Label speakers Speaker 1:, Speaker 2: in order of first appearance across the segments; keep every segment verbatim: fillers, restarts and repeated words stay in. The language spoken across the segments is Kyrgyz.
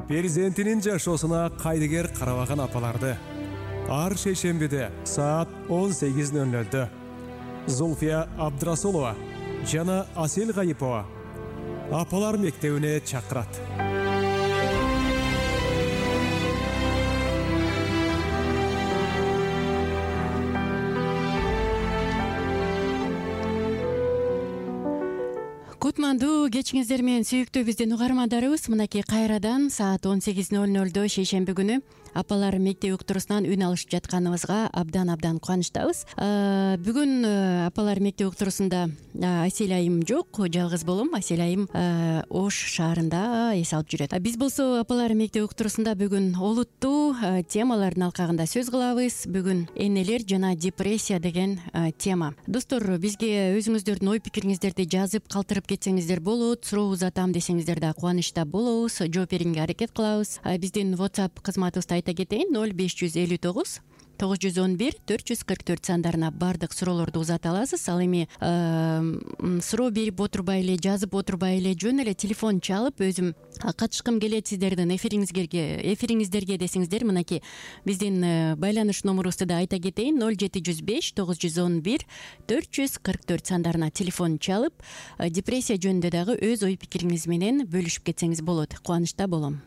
Speaker 1: перзентинин жашоосуна кайдыгер карабаган апаларды ар шейшембиде саат он сегиз ноль нольдө Зульфия Абдрасулова жана Асел Гайипова апалар мектебине чакырат.
Speaker 2: Кутмандуу кечиңиздер менен сүйүктүү биздин угармандарыбыз, мынакей кайрадан саат он сегиз ноль нольдо шейшемби күнү апалар мектеп уктуруусунан үн алышып жатканыбызга абдан абдан кубанычтабыз. Бүгүн апалар мектеп уктуруусунда Асел айым жок, жалгыз болом. Асел айым Ош шаарында эс алып жүрөт. Биз болсо апалар мектеп уктуруусунда бүгүн олуттуу темалардын алкагында сөз кылабыз. Бүгүн энелер жана депрессия деген тема. Достор, бизге өзүңүздөрдүн ой пикириңиздерди жазып калтырып кетсеңиздер болот. Суроо узатам десеңиздер да кубанычта болобуз. Жооп берүүгө аракет кылабыз. Биздин WhatsApp кызматыбызды айта кетейин: ноль беш жүз элүү тогуз тогуз жүз он бир төрт жүз кырк төрт сандарына баардык суроолорду узата аласыз. Ал эми суроо берип отурбай эле, жазып отурбай эле, жөн эле телефон чалып өзүм катышкым келет сиздердин эфириңиздерге эфириңиздерге десеңиздер, мынакей биздин байланыш номерубузду да айта кетейин: ноль жети жүз беш тогуз жүз он бир төрт жүз кырк төрт сандарына телефон чалып депрессия жөнүндө дагы өз ой пикириңиз менен бөлүшүп кетсеңиз болот. Кубанычта болом.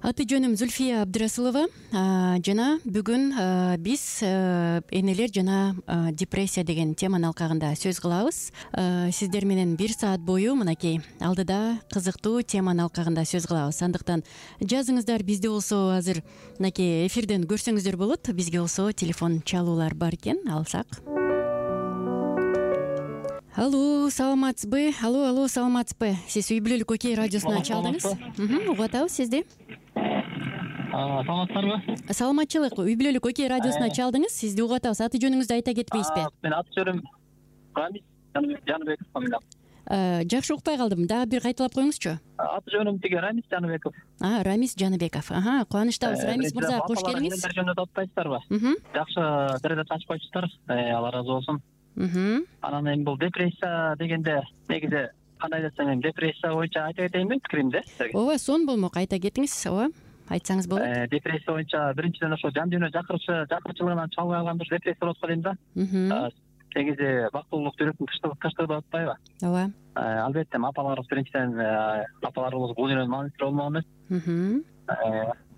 Speaker 2: Аты жөнүм Зульфия Абдрасулова жана бүгүн биз энелер жана депрессия деген теманын алкагында сөз кылабыз. Сиздер менен бир саат бою мынакей алдыда кызыктуу теманын алкагында сөз кылабыз. Андыктан жазыңыздар. Бизде болсо азыр мынакей эфирден көрсөңүздөр болот. Бизге болсо телефон чалуулар бар экен. Алсак. Алло, саламатсызбы? Алло, алло, саламатсызбы? Сиз үй бүлөлүк Окей радиосуна чалдыңыз. Угуп атабыз сизди.
Speaker 3: Саламатсыздарбы?
Speaker 2: Саламатчылык. Үй бүлөлүк Окей радиосуна чалдыңыз. Сизди угуп атабыз. Аты жөнүңүздү айта кетпейсизби?
Speaker 3: Мен аты жөнүм Рамис Жаныбеков фамилиям.
Speaker 2: Жакшы укпай калдым. Дагы бир кайталап коюңузчу.
Speaker 3: Аты жөнүм тиги Рамис Жаныбеков.
Speaker 2: А, Рамис Жаныбеков. Аха, кубанычтабыз. Рамис мырза, кош келиңиз.
Speaker 3: Энелер жөнүндө атпайсыздарбы? Жакшы передача ачып коюпсуздар. Алла ыраазы болсун. Анан эми бул депрессия дегенде негизи кандай десем, эми депрессия боюнча айта кетейинби пикиримди силерге?
Speaker 2: Ооба, сон болмок, айта кетиңиз. Ооба, айтсаңыз болот.
Speaker 3: Депрессия боюнча биринчиден ошо жан дүйнө жакырчы жакырчылыгынан чалбай калганда депрессия болот го дейм да. Негизи бактылуулук жүрөктүн тынчтыгы деп атпайбы?
Speaker 2: Ооба.
Speaker 3: Албетте апаларыбыз биринчиден апаларыбыз бул дүйнөнүн маанисиз болгон эмес.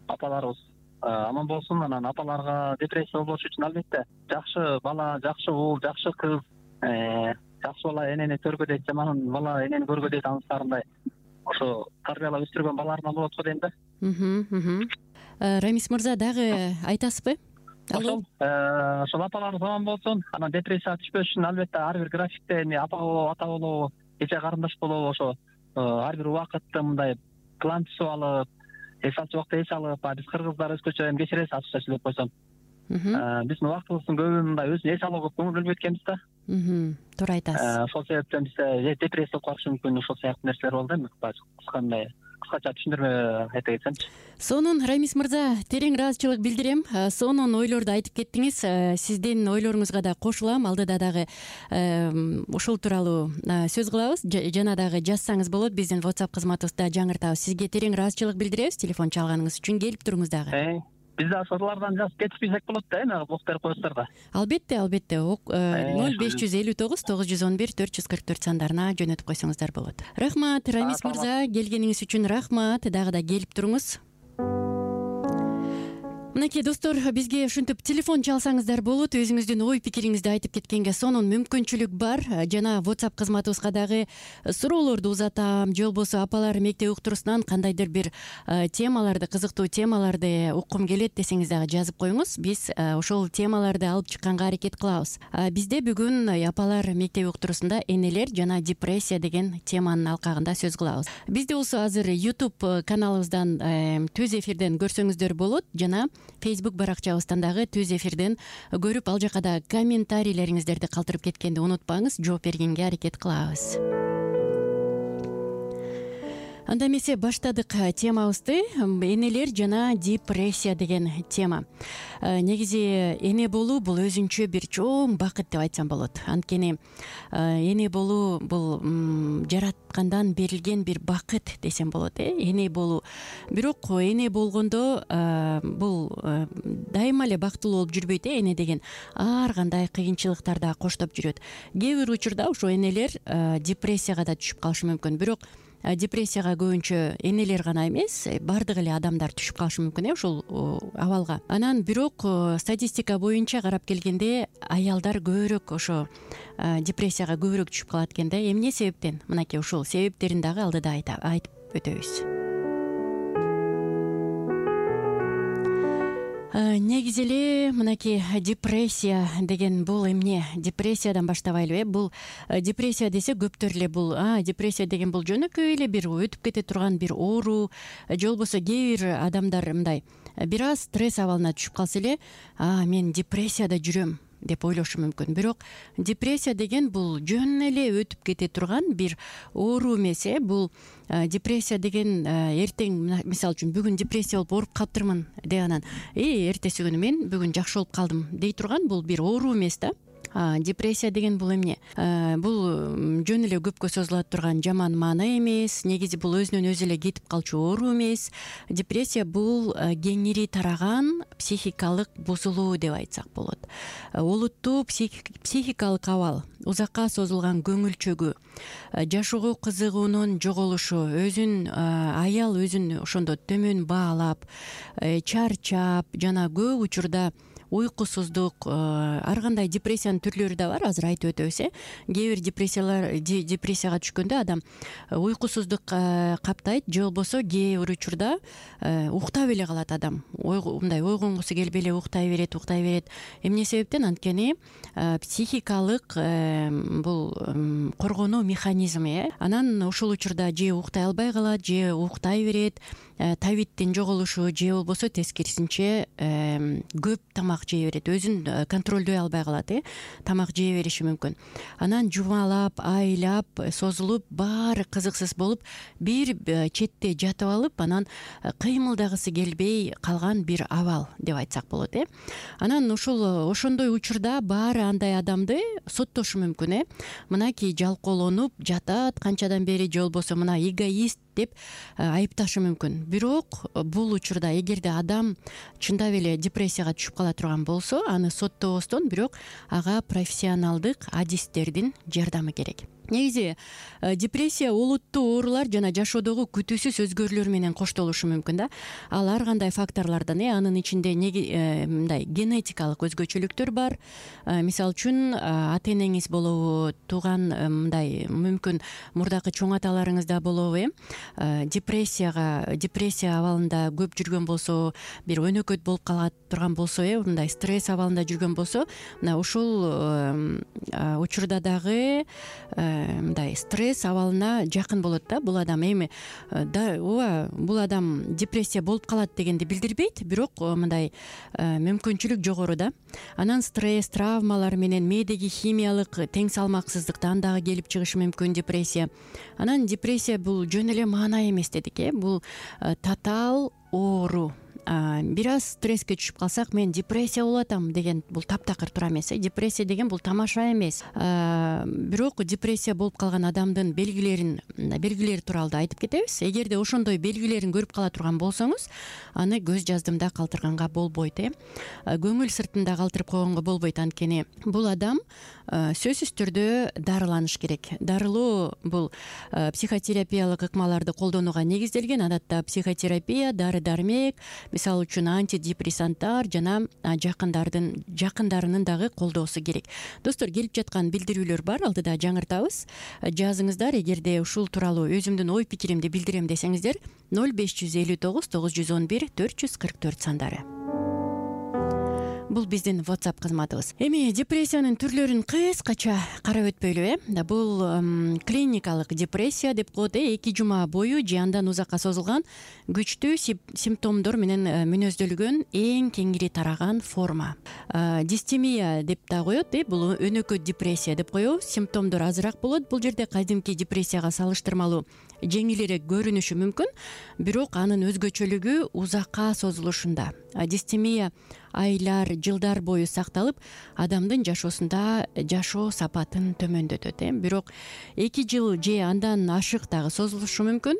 Speaker 3: Апаларыбыз аман болсун. Анан апаларга депрессия болбош үчүн албетте жакшы бала, жакшы уул, жакшы кыз, жакшы бала энени көргөдөйт, жаман бала энени көргөдөйт анысарындай ошо тарбиялап өстүргөн балаларынан болот го дейм да.
Speaker 2: Рамис мырза, дагы айтасызбы?
Speaker 3: Ошол ошол апаларыбыз аман болсун. Анан депрессияга түшпөш үчүн албетте ар бир графикте эми апа болобу, ата болобу, эже карындаш болобу, ошо ар бир убакытты мындай план түзүп алып, эс алчу убакта эс алып, биз кыргыздар өзгөчө эми кечиресиз ачыкча деп койсом. Биздин убактыбыздын көбү мындай өзүнө эс алууга көңүл бөлбөйт экенбиз да.
Speaker 2: Туура айтасыз.
Speaker 3: Ошол себептен бизде депрессия болуп калышы мүмкүн, ошол сыяктуу нерселер болду эми. Кыскандай кыскача түшүндүрмө айта кетсемчи.
Speaker 2: Сонун, Рамис мырза, терең ыраазычылык билдирем. Сонун ойлорду айтып кеттиңиз. Сиздин ойлоруңузга да кошулам. Алдыда дагы ушул тууралуу сөз кылабыз. Жана дагы жазсаңыз болот. Биздин WhatsApp кызматыбызда жаңыртабыз. Сизге терең ыраазычылык билдиребиз телефон чалганыңыз үчүн. Келип туруңуз дагы.
Speaker 3: Биз да ошолордон жазып кетишпесек болот да, эми блок берип коесуздар да.
Speaker 2: Албетте, албетте. ноль беш жүз элүү тогуз тогуз жүз он бир төрт жүз кырк төрт сандарына жөнөтүп койсоңуздар болот. Рахмат, Рамис мырза, келгениңиз үчүн рахмат. Дагы да келип туруңуз. Мынакей достор, бизге ушинтип телефон чалсаңыздар болот. Өзүңүздүн ой пикириңизди айтып кеткенге сонун мүмкүнчүлүк бар. Жана WhatsApp кызматыбызга дагы суроолорду узатам. Же болбосо апалар мектеп уктуруусунан кандайдыр бир темаларды, кызыктуу темаларды уккум келет десеңиз дагы жазып коюңуз. Биз ошол темаларды алып чыкканга аракет кылабыз. Бизде бүгүн апалар мектеп уктуруусунда энелер жана депрессия деген теманын алкагында сөз кылабыз. Бизде болсо азыр YouTube каналыбыздан түз эфирден көрсөңүздөр болот. Жана Facebook баракчабыздан дагы түз эфирден көрүп, ал жака да комментарийлериңиздерди калтырып кеткенди унутпаңыз. Жооп бергенге аракет кылабыз. анда эмесе баштадык темабызды. Энелер жана депрессия деген тема. Негизи эне болуу бул өзүнчө бир чоң бакыт деп айтсам болот. Анткени эне болуу бул жараткандан берилген бир бакыт десем болот. Эне болуу. Бирок эне болгондо бул дайыма эле бактылуу болуп жүрбөйт. Эне деген ар кандай кыйынчылыктар да коштоп жүрөт. Кээ бир учурда ошо энелер депрессияга да түшүп калышы мүмкүн. Бирок депрессияга көбүнчө энелер гана эмес, баардык эле адамдар түшүп калышы мүмкүн э ушул абалга. Анан бирок статистика боюнча карап келгенде аялдар көбүрөөк ошо депрессияга көбүрөөк түшүп калат экен да. Эмне себептен? Мынакей ушул себептерин дагы алдыда айтып өтөбүз. Негизи эле мынакей депрессия деген бул эмне? Депрессиядан баштабайлыбы э? Бул депрессия десе көптөр эле бул а депрессия деген бул жөнөкөй эле бир өтүп кете турган бир оору, же болбосо кээ бир адамдар мындай бир аз стресс абалына түшүп калса эле а мен депрессияда жүрөм деп ойлошу мүмкүн. Бирок депрессия деген бул жөн эле өтүп кете турган бир оору эмес э. Бул депрессия деген эртең, мисалы үчүн бүгүн депрессия болуп ооруп калыптырмын деп анан э эртеси күнү мен бүгүн жакшы болуп калдым дей турган бул бир оору эмес да. Депрессия деген бул эмне? Бул жөн эле көпкө созула турган жаман маана эмес. Негизи бул өзүнөн өзү эле кетип калчу оору эмес. Депрессия бул кеңири тараган психикалык бузулуу деп айтсак болот. Олуттуу психикалык абал, узакка созулган көңүл чөгүү, жашоого кызыгуунун жоголушу, өзүн аял өзүн ошондо төмөн баалап, чарчап жана көп учурда уйкусуздук, ар кандай депрессиянын түрлөрү да бар, азыр айтып өтөбүз э. Кээ бир депрессиялар депрессияга түшкөндө адам уйкусуздук каптайт, же болбосо кээ бир учурда уктап эле калат адам. Мындай ойгонгусу келбей эле уктай берет, уктай берет. Эмне себептен? Анткени психикалык бул коргонуу механизми э. Анан ушул учурда же уктай албай калат, же уктай берет, табиттин жоголушу, же болбосо тескерисинче көп тамак жей берет, өзүн контролдой албай калат э. Тамак жей бериши мүмкүн. Анан жумалап, айлап, созулуп, баары кызыксыз болуп, бир четте жатып алып, анан кыймылдагысы келбей калган бир абал деп айтсак болот э. Анан ушул ошондой учурда баары андай адамды соттошу мүмкүн э. Мынакей жалкоолонуп жатат канчадан бери, же болбосо мына эгоист деп айыпташы мүмкүн. Бирок бул учурда эгерде адам чындап эле депрессияга түшүп кала турган болсо, аны соттобостон, бирок ага профессионалдык адистердин жардамы керек. Негизи депрессия олуттуу оорулар жана жашоодогу күтүүсүз өзгөрүүлөр менен коштолушу мүмкүн да. Ал ар кандай факторлордон э анын ичинде мындай генетикалык өзгөчөлүктөр бар. Мисалы үчүн ата энеңиз болобу, тууган мындай мүмкүн мурдакы чоң аталарыңызда болобу э депрессияга депрессия абалында көп жүргөн болсо, бир өнөкөт болуп кала турган болсо э мындай стресс абалында жүргөн болсо, мына ушул учурда дагы мындай стресс абалына жакын болот да бул адам. Эми да ооба бул адам депрессия болуп калат дегенди билдирбейт, бирок мындай мүмкүнчүлүк жогору да. Анан стресс, травмалар менен мээдеги химиялык тең салмаксыздыктан дагы келип чыгышы мүмкүн депрессия. Анан депрессия бул жөн эле маана эмес дедик э, бул татаал оору. Бир аз стресске түшүп калсак, мен депрессия болуп атам деген бул таптакыр туура эмес э. Депрессия деген бул тамаша эмес. Бирок депрессия болуп калган адамдын белгилерин белгилери тууралуу айтып кетебиз. Эгерде ошондой белгилерин көрүп кала турган болсоңуз, аны көз жаздымда калтырганга болбойт э. Көңүл сыртында калтырып койгонго болбойт, анткени бул адам сөзсүз түрдө дарыланыш керек. Дарылоо бул психотерапиялык ыкмаларды колдонууга негизделген. Адатта психотерапия, дары-дармек, мисалы үчүн антидепрессанттар жана жакындардын жакындарынын дагы колдоосу керек. Достор, келип жаткан билдирүүлөр бар, алдыда жаңыртабыз. Жазыңыздар, эгерде ушул тууралуу өзүмдүн ой пикиримди билдирем десеңиздер, ноль беш жүз элүү тогуз тогуз жүз он бир төрт жүз кырк төрт сандары. бул биздин WhatsApp кызматыбыз. Эми депрессиянын түрлөрүн кыскача карап өтпөйлүбү э бул клиникалык депрессия деп коет э эки жума бою же андан узакка созулган күчтүү симптомдор менен мүнөздөлгөн эң кеңири тараган форма. Дистемия деп да коет э бул өнөкөт депрессия деп коебуз. Симптомдор азыраак болот. Бул жерде кадимки депрессияга салыштырмалуу жеңилирээк көрүнүшү мүмкүн, бирок анын өзгөчөлүгү узакка созулушунда. Дистемия айлар, жылдар бою сакталып, адамдын жашоосунда жашоо сапатын төмөндөтөт э бирок эки жыл же андан ашык дагы созулушу мүмкүн.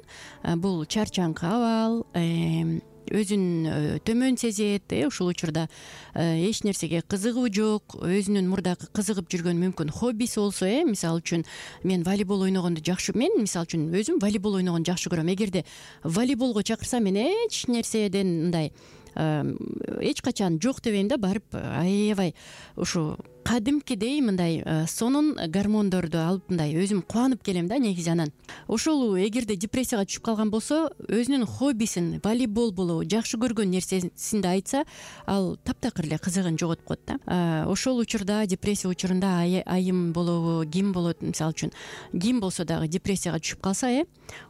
Speaker 2: Бул чарчаңкы абал, өзүн төмөн сезет э ушул учурда эч нерсеге кызыгуу жок, өзүнүн мурдакы кызыгып жүргөн мүмкүн хоббиси болсо э мисалы үчүн мен волейбол ойногонду жакшы мен мисалы үчүн өзүм волейбол ойногонду жакшы көрөм. Эгерде волейболго чакырса мен эч нерседен мындай эч качан жок дебейм да, барып аябай ушу кадимкидей мындай сонун гормондорду алып мындай өзүм кубанып келем да негизи. Анан ошол эгерде депрессияга түшүп калган болсо, өзүнүн хоббисин, волейбол болобу, жакшы көргөн нерсесинди айтса, ал таптакыр эле кызыгын жоготуп коет да. Ошол учурда, депрессия учурунда айым болобу, ким болот, мисалы үчүн ким болсо дагы депрессияга түшүп калса э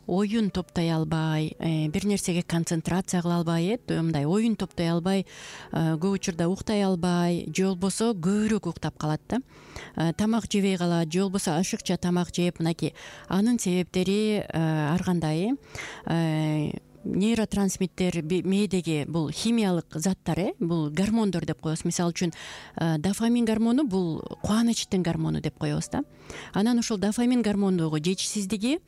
Speaker 2: оюн топтой албай, бир нерсеге концентрация кыла албай, э мындай оюн топтой албай, көп учурда уктай албай, же болбосо көбүрөөк уктап калат да. Тамак жебей калат, же болбосо ашыкча тамак жеп, мынакей анын себептери ар кандай э нейротрансмиттер мээдеги бул химиялык заттар э бул гормондор деп коебуз. Мисалы үчүн дофамин гормону бул кубанычтын гормону деп коебуз да. Анан ошол дофамин гормонундагы жетишсиздиги,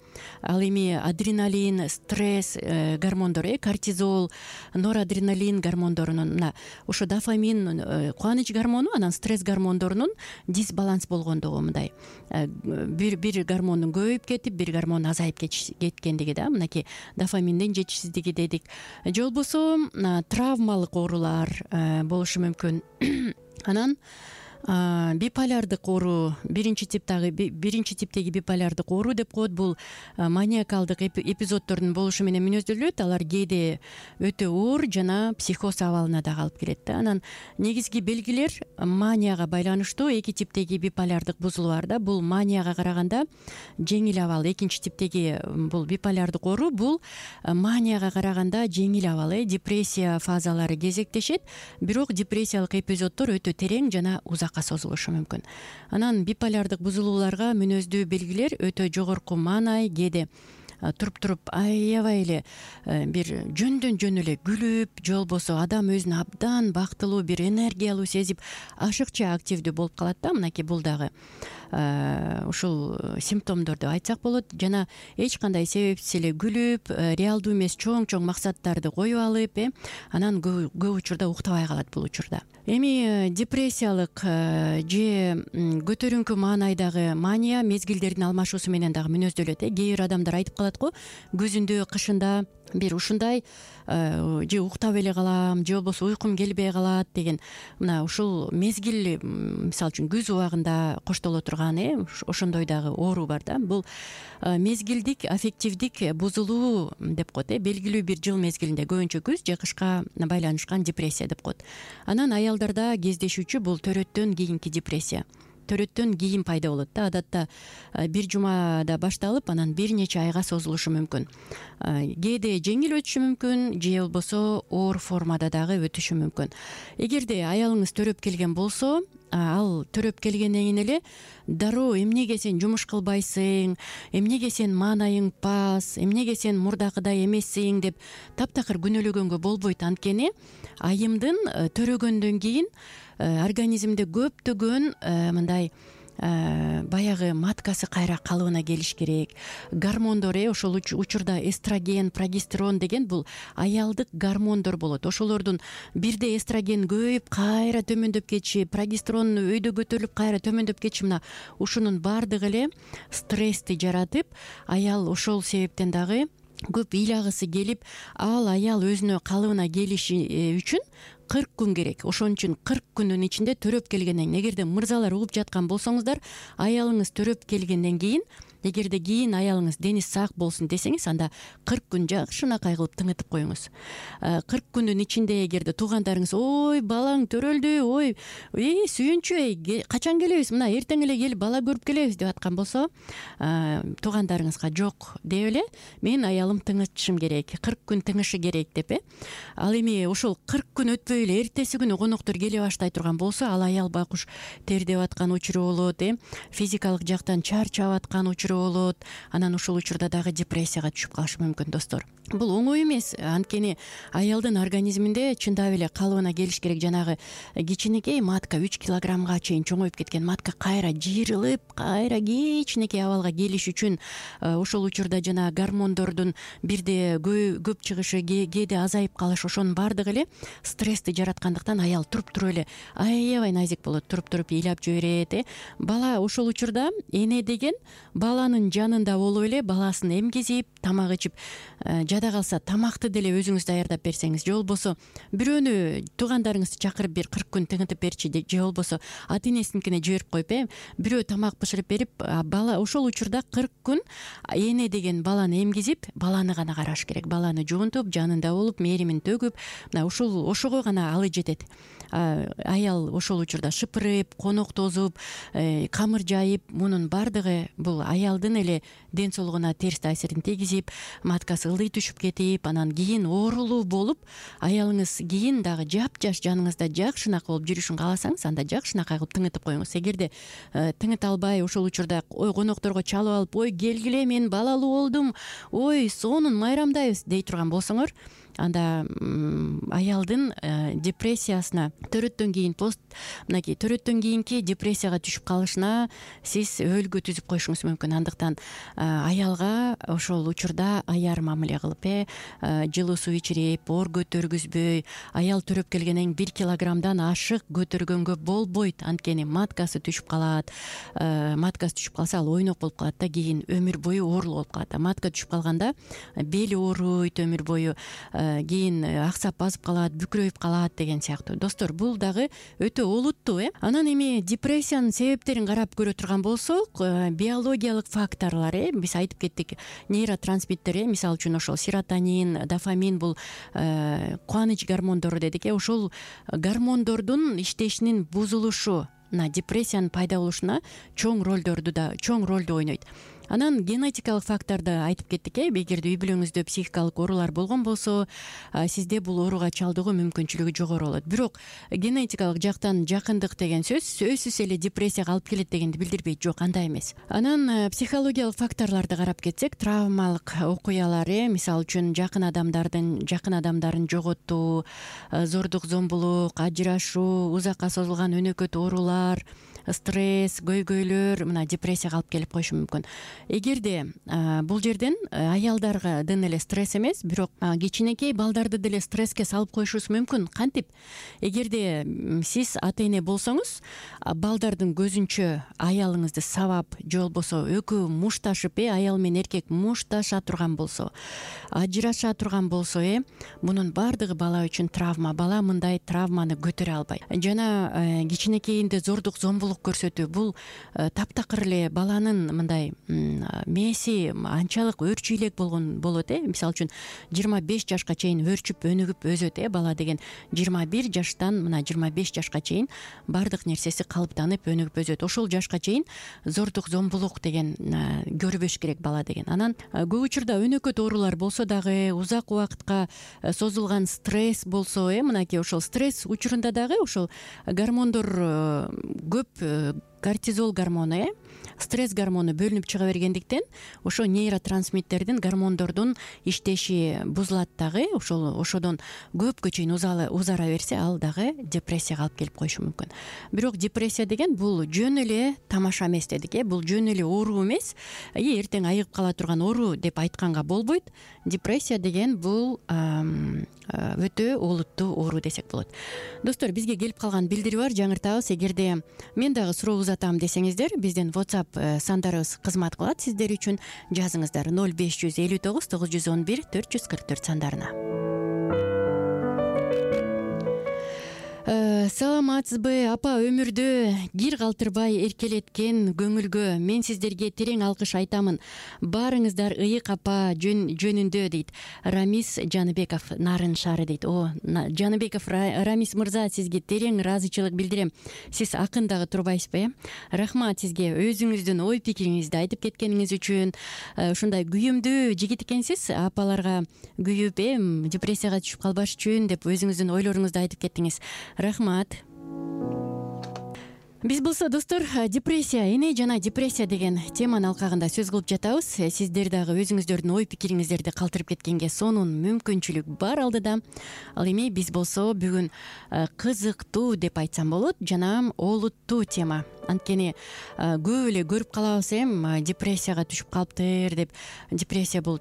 Speaker 2: ал эми адреналин, стресс гормондору э кортизол, норадреналин гормондорунун мына ошо дофамин кубаныч гормону, анан стресс гормондорунун дисбаланс болгондугу, мындай бир бир гормондун көбөйүп кетип, бир гормон азайып кеткендиги да. Мынакей дофаминдин жетишсиздиги дедик. Же болбосо травмалык оорулар болушу мүмкүн. Анан биполярдык оору, биринчи типтагы биринчи типтеги биполярдык оору деп коет. Бул маниакалдык эпизоддордун болушу менен мүнөздөлөт. Алар кээде өтө оор жана психоз абалына дагы алып келет да. Анан негизги белгилер манияга байланыштуу. Эки типтеги биполярдык бузулуу бар да. Бул манияга караганда жеңил абал. Экинчи типтеги бул биполярдык оору, бул манияга караганда жеңил абал э депрессия фазалары кезектешет, бирок депрессиялык эпизоддор өтө терең жана узакка созулушу мүмкүн. Анан биполярдык бузулууларга мүнөздүү белгилер өтө жогорку маанай, кээде туруп-туруп аябай эле бир жөндөн жөн эле күлүп, же болбосо адам өзүн абдан бактылуу, бир энергиялуу сезип, ашыкча активдүү болуп калат да. Мынакей бул дагы ушул симптомдорду айтсак болот. Жана эч кандай себепсиз эле күлүп, реалдуу эмес чоң-чоң максаттарды коюп алып, э анан көп учурда уктабай калат бул учурда. Эми депрессиялык же көтөрүңкү маанайдагы мания мезгилдердин алмашуусу менен дагы мүнөздөлөт э Кээ бир адамдар айтып калат го, күзүндө, кышында бир ушундай же уктап эле калам, же болбосо уйкум келбей калат деген. Мына ушул мезгил, мисалы үчүн күз убагында коштоло турган э ошондой дагы оору бар да. Бул мезгилдик аффективдик бузулуу деп коет э белгилүү бир жыл мезгилинде, көбүнчө күз же кышка байланышкан депрессия деп коет. Анан аялдарда кездешүүчү бул төрөттөн кийинки депрессия. Төрөттөн кийин пайда болот да. Адатта бир жумада башталып, анан бир нече айга созулушу мүмкүн. Кээде жеңил өтүшү мүмкүн, же болбосо оор формада дагы өтүшү мүмкүн. Эгерде аялыңыз төрөп келген болсо, ал төрөп келгенден кийин эле дароо эмнеге сен жумуш кылбайсың, эмнеге сен маанайың пас, эмнеге сен мурдакыдай эмессиң деп таптакыр күнөөлөгөнгө болбойт. Анткени айымдын төрөгөндөн кийин организмде көптөгөн мындай баягы маткасы кайра калыбына келиш керек. Гормондор э ошол учурда эстроген, прогестерон деген бул аялдык гормондор болот. Ошолордун бирде эстроген көбөйүп, кайра төмөндөп кетиши, прогестерон өйдө көтөрүлүп, кайра төмөндөп кетиши, мына ушунун баардыгы эле стрессти жаратып, аял ошол себептен дагы көп ыйлагысы келип, ал аял өзүнө калыбына келиши үчүн кырк күн керек. Ошон үчүн кырк күндүн ичинде төрөп келгенден кийин, эгерде мырзалар угуп жаткан болсоңуздар, аялыңыз төрөп келгенден кийин эгерде кийин аялыңыз дени сак болсун десеңиз, анда кырк күн жакшынакай кылып тыңытып коюңуз. кырк күндүн ичинде эгерде туугандарыңыз ой балаң төрөлдү, ой эй сүйүнчү, эй качан келебиз, мына эртең эле келип бала көрүп келебиз деп аткан болсо, туугандарыңызга жок деп эле менин аялым тыңытышым керек, кырк күн тыңышы керек деп э ал эми ошол кырк күн өтпөй эле эртеси күнү коноктор келе баштай турган болсо, ал аял байкуш тердеп аткан учуру болот, э физикалык жактан чарчап аткан учуру болот. Анан ушул учурда дагы депрессияга түшүп калышы мүмкүн достор. Бул оңой эмес, анткени аялдын организминде чындап эле калыбына келиш керек. Жанагы кичинекей матка үч килограммга чейин чоңоюп кеткен матка кайра жыйрылып, кайра кичинекей абалга келиш үчүн ошол учурда жана гормондордун бирде көп чыгышы, кээде азайып калышы, ошонун баардыгы эле стрессти жараткандыктан аял туруп туруп эле аябай назик болот, туруп туруп ыйлап жиберет. э Бала ошол учурда эне деген баланын жанында болуп эле баласын эмгизип, тамак ичип, жада калса тамакты деле өзүңүз даярдап берсеңиз, же болбосо бирөөнү туугандарыңызды чакырып бир кырк күн тыңытып берчи, же болбосо ата энесиникине жиберип коюп, э бирөө тамак бышырып берип, бала ошол учурда кырк күн эне деген баланы эмгизип, баланы гана караш керек. Баланы жуунтуп, жанында болуп, мээримин төгүп, мына ушул ошого гана алы жетет. Аял ошол учурда шыпырып, конок тозуп, камыр жайып, мунун баардыгы бул аялдын эле ден соолугуна терс таасирин тийгизип, маткасы ылдый түшүп кетип, анан кийин оорулуу болуп, аялыңыз кийин дагы жапжаш жаныңызда жакшынакай болуп жүрүшүн кааласаңыз, анда жакшынакай кылып тыңытып коюңуз. Эгерде тыңыта албай ошол учурда ой конокторго чалып алып, ой келгиле мен балалуу болдум, ой сонун майрамдайбыз дей турган болсоңор, анда аялдын депрессиясына, төрөттөн кийин пост мынакей төрөттөн кийинки депрессияга түшүп калышына сиз өөлгө түзүп коюшуңуз мүмкүн. Андыктан аялга ошол учурда аяр мамиле кылып, э жылуу суу ичирип, оор көтөргүзбөй, аял төрөп келгенден бир килограммдан ашык көтөргөнгө болбойт. Анткени маткасы түшүп калат. Маткасы түшүп калса, ал ойнок болуп калат да, кийин өмүр бою оорулуу болуп калат. Матка түшүп калганда бели ооруйт өмүр бою, кийин аксап базып калат, бүкүрөйүп калат деген сыяктуу. Достор, бул дагы өтө олуттуу. э Анан эми депрессиянын себептерин карап көрө турган болсок, биологиялык факторлор, э биз айтып кеттик, нейротрансмиттер, э мисалы үчүн ошол серотонин, дофамин, бул кубаныч гормондору дедик, э ошол гормондордун иштешинин бузулушу мына депрессиянын пайда болушуна чоң ролдорду да чоң ролду ойнойт. Анан генетикалык факторду айтып кеттик, э эгерде үй бүлөңүздө психикалык оорулар болгон болсо, сизде бул ооруга чалдыгуу мүмкүнчүлүгү жогору болот. Бирок генетикалык жактан жакындык деген сөз сөзсүз эле депрессияга алып келет дегенди билдирбейт. Жок, андай эмес. Анан психологиялык факторлорду карап кетсек, травмалык окуялар, э мисалы үчүн жакын адамдардын жакын адамдарын жоготуу, зордук зомбулук, ажырашуу, узакка созулган өнөкөт оорулар, стресс, көйгөйлөр мына депрессияга алып келип коюшу мүмкүн. Эгерде бул жерден аялдардын эле стресс эмес, бирок кичинекей балдарды деле стресске салып коюшубуз мүмкүн. Кантип? Эгерде сиз ата эне болсоңуз, балдардын көзүнчө аялыңызды сабап, же болбосо экөө мушташып, э аял менен эркек мушташа турган болсо, ажыраша турган болсо, э мунун баардыгы бала үчүн травма. Бала мындай травманы көтөрө албайт. Жана кичинекейинде зордук зомбулук көрсөтүү, бул таптакыр эле баланын мындай мээси анчалык өрчү элек болгон болот, э мисалы үчүн жыйырма беш жашка чейин өрчүп өнүгүп өзөт, э бала деген жыйырма бир жаштан мына жыйырма беш жашка чейин баардык нерсеси калыптанып өнүгүп өзөт. Ошол жашка чейин зордук зомбулук деген көрбөш керек бала деген. Анан көп учурда өнөкөт оорулар болсо дагы, узак убакытка созулган стресс болсо, э мынакей ошол стресс учурунда дагы ошол гормондор көп, кортизол гормону, э стресс гормону бөлүнүп чыга бергендиктен ошо нейротрансмиттердин, гормондордун иштеши бузулат дагы. Ошол ошодон көпкө чейин узара берсе, ал дагы депрессияга алып келип коюшу мүмкүн. Бирок депрессия деген бул жөн эле тамаша эмес дедик, э бул жөн эле оору эмес, и эртең айыгып кала турган оору деп айтканга болбойт. Депрессия деген бул өтө олуттуу оору десек болот. Достор, бизге келип калган билдири бар, жаңыртабыз. Эгерде мен дагы суроо узатам десеңиздер, биздин WhatsApp сандарыбыз кызмат кылат сиздер үчүн. Жазыңыздар ноль беш жүз элүү тогуз тогуз жүз он бир төрт жүз кырк төрт сандарына. саламатсызбы апа? Өмүрдө кир калтырбай эркелеткен көңүлгө мен сиздерге терең алкыш айтамын. Баарыңыздар ыйык апа жөн жөнүндө дейт Рамис Жаныбеков, Нарын шаары дейт. О, Жаныбеков Рамис мырза, сизге терең ыраазычылык билдирем. Сиз акын дагы турбайсызбы, э? Рахмат сизге өзүңүздүн ой пикириңизди айтып кеткениңиз үчүн. Ушундай күйүмдүү жигит экенсиз. Апаларга күйүп, э, депрессияга түшүп калбаш үчүн деп өзүңүздүн ойлоруңузду айтып кеттиңиз. Рахмат. Биз болсо достор, депрессия, эне жана депрессия деген теманын алкагында сөз кылып жатабыз. Сиздер дагы өзүңүздөрдүн ой пикириңиздерди калтырып кеткенге сонун мүмкүнчүлүк бар алдыда. Ал эми биз болсо бүгүн кызыктуу деп айтсам болот жана олуттуу тема. Анткени көп эле көрүп калабыз, эм депрессияга түшүп калыптыр деп. Депрессия бул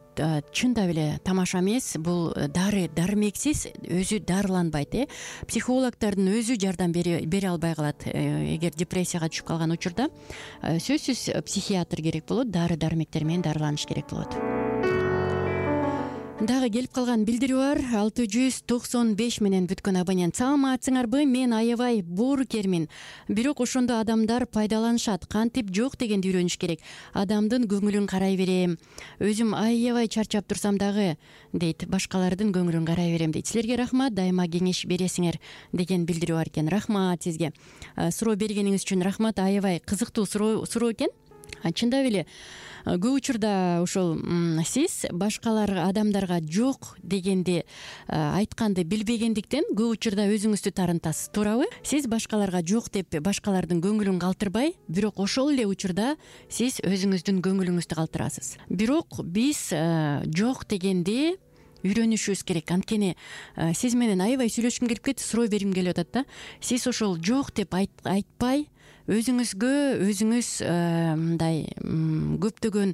Speaker 2: чындап эле тамаша эмес, бул дары дармексиз, өзү дарыланбайт, э. Психологдордун өзү жардам бере албай калат. Эгер депрессияга түшүп калган учурда сөзсүз психиатр керек болот, дары дармектер менен дарыланыш керек болот. Дагы келип калган билдирүү бар. алты жүз токсон беш менен бүткөн абонент. Саламатсыңарбы? Мен аябай боорукермин. Бирок ошондо адамдар пайдаланышат. Кантип жок дегенди үйрөнүш керек. Адамдын көңүлүн карай берем. Өзүм аябай чарчап турсам дагы дейт, башкалардын көңүлүн карай берем дейт. Силерге рахмат, дайыма кеңеш бересиңер деген билдирүү бар экен. Рахмат сизге. Суроо бергениңиз үчүн рахмат. Аябай кызыктуу суроо экен. Чындап эле көп учурда ошол сиз башкалар адамдарга жок дегенди айтканды билбегендиктен көп учурда өзүңүздү тарынтасыз, туурабы? Сиз башкаларга жок деп башкалардын көңүлүн калтырбай, бирок ошол эле учурда сиз өзүңүздүн көңүлүңүздү калтырасыз. Бирок биз жок дегенди үйрөнүшүбүз керек. Анткени сиз менен аябай сүйлөшкүм келип кетти, суроо бергим келип атат да. Сиз ошол жок деп айтпай, өзүңүзгө өзүңүз мындай көптөгөн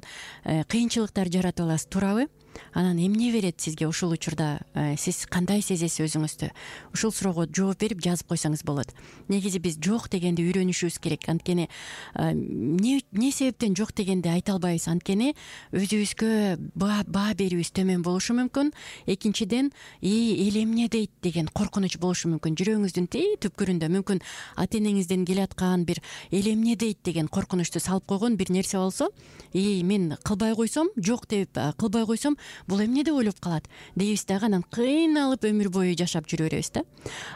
Speaker 2: кыйынчылыктар жаратып аласыз, туурабы? Анан эмне берет сизге ошол учурда? Сиз кандай сезесиз өзүңүздү? Ушул суроого жооп берип жазып койсоңуз болот. Негизи биз жок дегенди үйрөнүшүбүз керек. Анткени эмне эмне себептен жок дегенди айта албайбыз? Анткени өзүбүзгө баа берүүбүз төмөн болушу мүмкүн. Экинчиден, и эл эмне дейт деген коркунуч болушу мүмкүн. Жүрөгүңүздүн түпкүрүндө мүмкүн ата энеңизден келаткан бир эл эмне дейт деген коркунучту салып койгон бир нерсе болсо, и мен кылбай койсом, жок деп кылбай койсом, бул эмне деп ойлоп калат дейбиз дагы, анан кыйналып өмүр бою жашап жүрө беребиз да.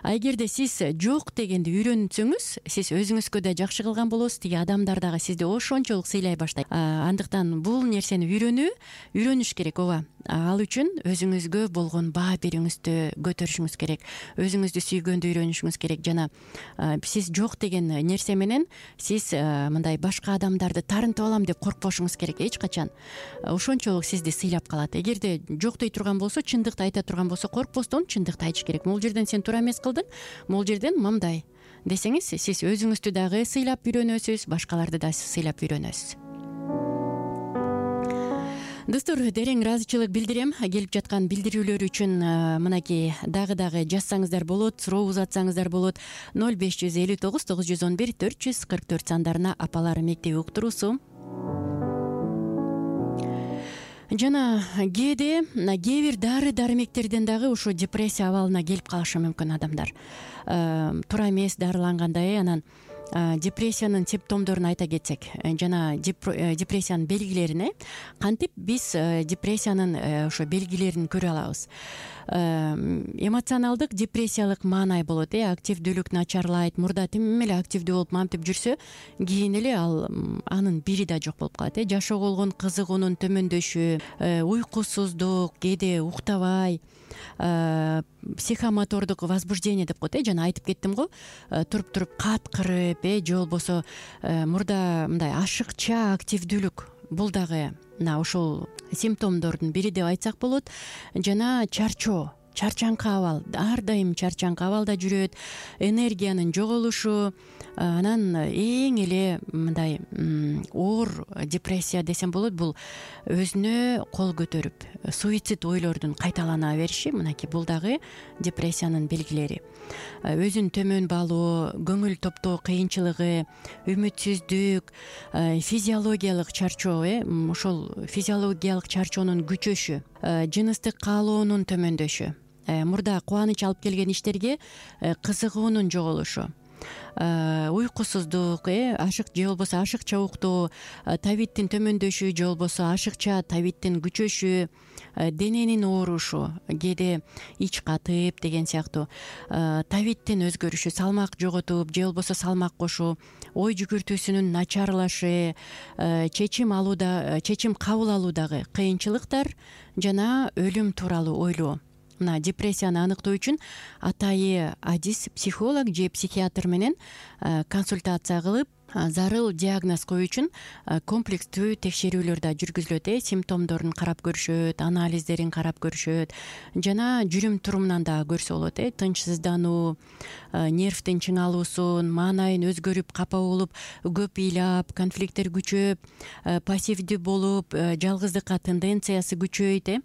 Speaker 2: А эгерде сиз жок дегенди үйрөнсөңүз, сиз өзүңүзгө да жакшы кылган болосуз, тиги адамдар дагы сизди ошончолук сыйлай баштайт. Андыктан бул нерсени үйрөнүү, үйрөнүш керек, ооба. Ал үчүн өзүңүзгө болгон баа берүүңүздү көтөрүшүңүз керек, өзүңүздү сүйгөндү үйрөнүшүңүз керек. Жана сиз жок деген нерсе менен сиз мындай башка адамдарды тарынтып алам деп коркпошуңуз керек эч качан. Ошончолук сизди сыйлап калат. Эгерде жок дей турган болсо, чындыкты айта турган болсо, коркпостон чындыкты айтыш керек. Могул жерден сен туура эмес кылдың, могул жерден мындай десеңиз, сиз өзүңүздү дагы сыйлап үйрөнөсүз, башкаларды да сыйлап үйрөнөсүз. Достор, терең ыраазычылык билдирем келип жаткан билдирүүлөр үчүн. Мынакей дагы дагы жазсаңыздар болот, суроо узатсаңыздар болот. ноль беш жүз элүү тогуз тогуз жүз он бир төрт жүз кырк төрт сандарына апалар мектеби уктуруусу. Жана кээде кээ бир дары дармектерден дагы ошо депрессия абалына келип калышы мүмкүн адамдар. Туура эмес дарылангандай, анан депрессиянын симптомдорун айта кетсек, жана депрессиянын белгилерин, кантип биз депрессиянын ошо белгилерин көрө алабыз. Эмоционалдык депрессиялык маанай болот, э активдүүлүк начарлайт, мурда тим эле активдүү болуп мантип жүрсө, кийин эле ал анын бири да жок болуп калат, э жашоого болгон кызыгуунун төмөндөшү, уйкусуздук, кээде уктабай, психомотордук возбуждение деп коет, э жана айтып кеттим го, туруп туруп каткырып, э же болбосо мурда мындай ашыкча активдүүлүк, бул дагы мына ошол симптомдордун бири деп айтсак болот. Жана чарчоо, чарчаңкы абал, ар дайым чарчаңкы абалда жүрөт, энергиянын жоголушу, анан эң эле мындай оор депрессия десем болот, бул өзүнө кол көтөрүп суицид ойлордун кайталана бериши, мынакей бул дагы депрессиянын белгилери. Өзүн төмөн баалоо, көңүл топтоо кыйынчылыгы, үмүтсүздүк, физиологиялык чарчоо, э ошол физиологиялык чарчоонун күчөшү, жыныстык каалоонун төмөндөшү, мурда кубаныч алып келген иштерге кызыгуунун жоголушу, уйкусуздук, э ашык же болбосо ашыкча уктоо, табиттин төмөндөшү же болбосо ашыкча табиттин күчөшү, дененин оорушу, кээде ич катып деген сыяктуу, табиттин өзгөрүшү, салмак жоготуп же болбосо салмак кошуу, ой жүгүртүүсүнүн начарлашы, чечим алууда чечим кабыл алуудагы кыйынчылыктар жана өлүм тууралуу ойлоо. Мына депрессияны аныктоо үчүн атайы адис психолог же психиатр менен консультация кылып, зарыл диагноз коюу үчүн комплекстүү текшерүүлөр да жүргүзүлөт. э симптомдорун карап көрүшөт, анализдерин карап көрүшөт, жана жүрүм турумунан да көрсө болот. э тынчсыздануу, нервдин чыңалуусун, маанайын өзгөрүп, капа болуп, көп ыйлап, конфликттер күчөп, пассивдүү болуп, жалгыздыкка тенденциясы күчөйт. э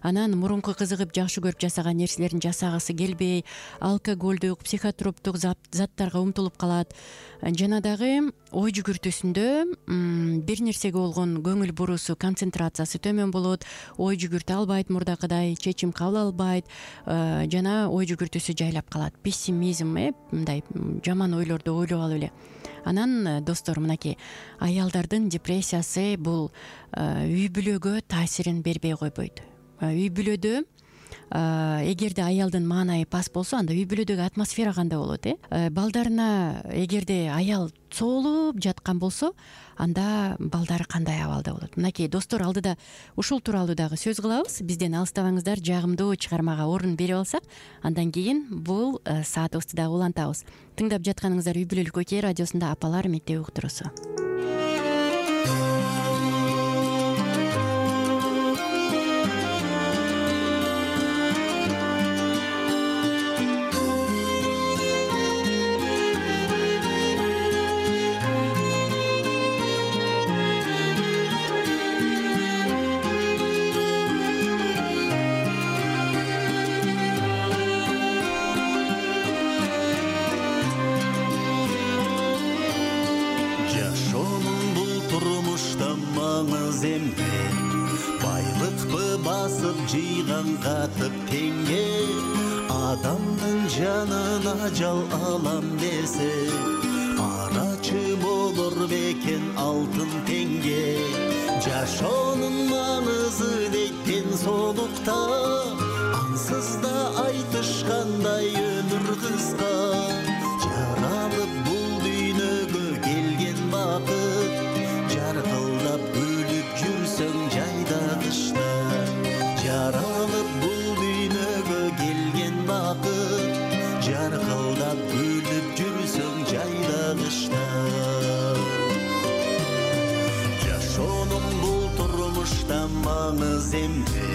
Speaker 2: анан мурунку кызыгып жакшы көрүп жасаган нерселерин жасагысы келбей, алкоголдук, психотроптук заттарга умтулуп калат, жана дагы ой жүгүртүүсүндө бир нерсеге болгон көңүл буруусу, концентрациясы төмөн болот, ой жүгүртө албайт, мурдакыдай чечим кабыл албайт, жана ой жүгүртүүсү жайлап калат. Пессимизм, э мындай жаман ойлорду ойлоп алып эле. Анан достор, мынакей аялдардын депрессиясы бул үй бүлөгө таасирин бербей койбойт. Үй бүлөдө эгерде аялдын маанайы паст болсо, анда үй бүлөдөгү атмосфера кандай болот? э балдарына эгерде аял соолуп жаткан болсо, анда балдары кандай абалда болот? Мынакей достор, алдыда ушул тууралуу дагы сөз кылабыз. Бизден алыстабаңыздар, жагымдуу чыгармага орун берип алсак, андан кийин бул саатыбызды дагы улантабыз. Тыңдап жатканыңыздар Үй бүлөлүк Окей радиосунда Апалар мектеби уктуруусу.
Speaker 4: Катып теңге адамдын жанын ажал алам десе, карачы болор бекен алтын теңге. Жашоонун маңызы дейт ден соолукта, ансыз да айтышкандай өмүр кыска. Жаралып бул дүйнөгө келген бакыт, жаркылдап өлүп жүрсөң жайда кышта. Жаралып бул дүйнөгө келген бакыт, жаркылдап өлүп жүрсөң жайда кышта. Жашоонун бул турмушта маңыз эмне,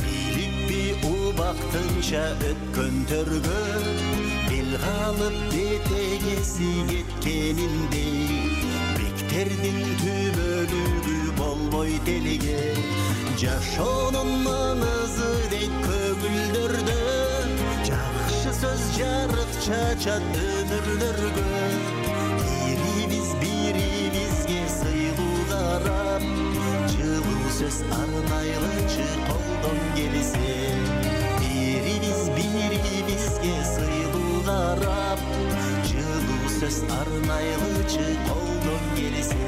Speaker 4: билиппи убактынча өткөн төргө, бел калып бетегеси кеткениндей, бектердин түбөлүгү болбойт элге. Жашоонун маңызы дейт көңүлдөрдө, жакшы сөз жарык чачат өмүрлөргө. Бирибиз бирибизге сыйлуу карап, жылуу сөз арнайлычы колдон келсе. Бирибиз бирибизге сыйлуу карап, жылуу сөз арнайлычы колдон келсе.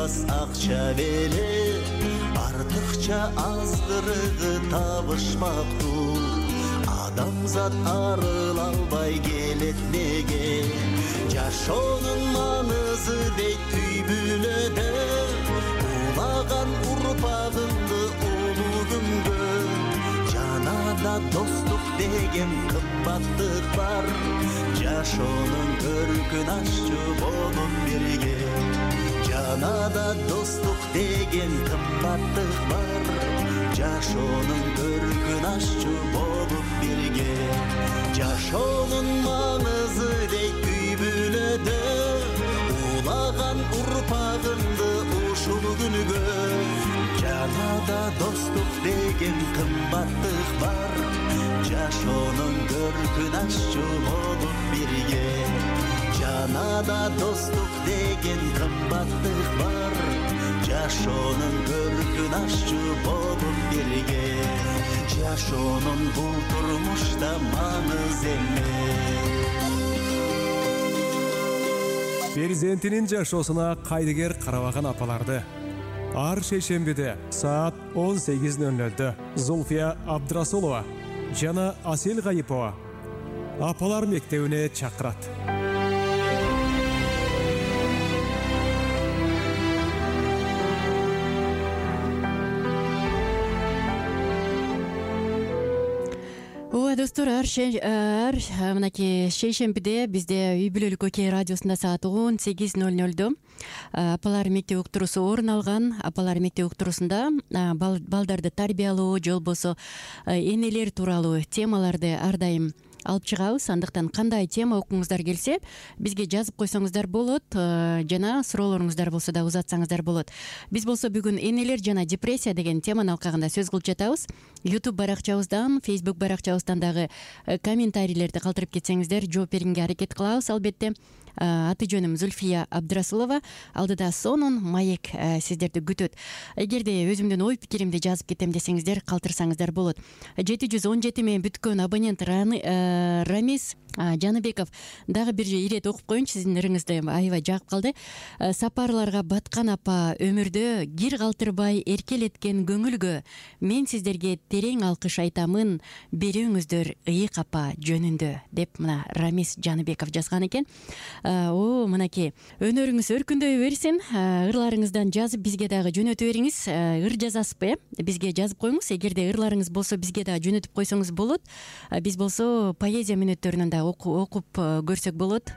Speaker 4: Акча беле артыкча азгырыгы табышмактуу, адамзат арыла албай келет неге. Жашоонун маңызы дейт үй бүлөдө, улаган урпагыңды улуу күнгө. Жанада достук деген кымбаттык бар, жашоонун көркүн ашчу болуп бирге. Жанада достук деген кымбаттык бар, жашоонун көркүн ашчу болуп бирге. Жашоонун маңызы дейт үй бүлөдө, улаган урпагымды ушул күнгө. Жанада достук деген кымбаттык бар, жашоонун көркүн ашчу болуп бирге. Жанада достук деген кымбаттык бар, жашоонун көркүн ашчу болуп бирге. Жашоонун бул турмушта маңыз эмес.
Speaker 1: Перзентинин жашоосуна кайдыгер карабаган апаларды ар шейшембиде саат он сегиз ноль нольдө Зулфия Абдрасулова жана Асел Гайипова апалар мектебине чакырат.
Speaker 2: Ооба достор, ар ар мынакей шейшембиде бизде үй бүлөлүк окей радиосунда саат он сегиз ноль нольдо апалар мектеп уктуруусу орун алган. Апалар мектеп уктуруусунда балдарды тарбиялоо же болбосо энелер тууралуу темаларды ар дайым алып чыгабыз. Андыктан кандай тема окуңуздар келсе бизге жазып койсоңуздар болот, жана суроолоруңуздар болсо да узатсаңыздар болот. Биз болсо бүгүн энелер жана депрессия деген теманы алкагында сөз кылып жатабыз. YouTube баракчабыздан, Facebook баракчабыздан дагы комментарийлерди калтырып кетсеңиздер жооп бергенге аракет кылабыз албетте. Аты жөнүм Зульфия Абдрасулова. Алдыда сонун маек сиздерди күтөт. Эгерде өзүмдүн ой пикиримди жазып кетем десеңиздер калтырсаңыздар болот. жети жүз он жети менен бүткөн абонент Рамис Жаныбеков дагы бир ирет окуп коеюнчу, сиздин ырыңызды аябай жагып калды. Сапарларга баткан апа, өмүрдө кир калтырбай эркелеткен көңүлгө мен сиздерге терең алкыш айтамын, берүүңүздөр ыйык апа жөнүндө деп мына Рамис Жаныбеков жазган экен. О, мынакей өнөрүңүз өркүндөй берсин. Ырларыңыздан жазып бизге дагы жөнөтүп бериңиз. Ыр жазасызбы, э? Бизге жазып коюңуз. Эгерде ырларыңыз болсо бизге дагы жөнөтүп койсоңуз болот. Биз болсо поэзия мүнөттөрүнөн да окуп көрсөк болот.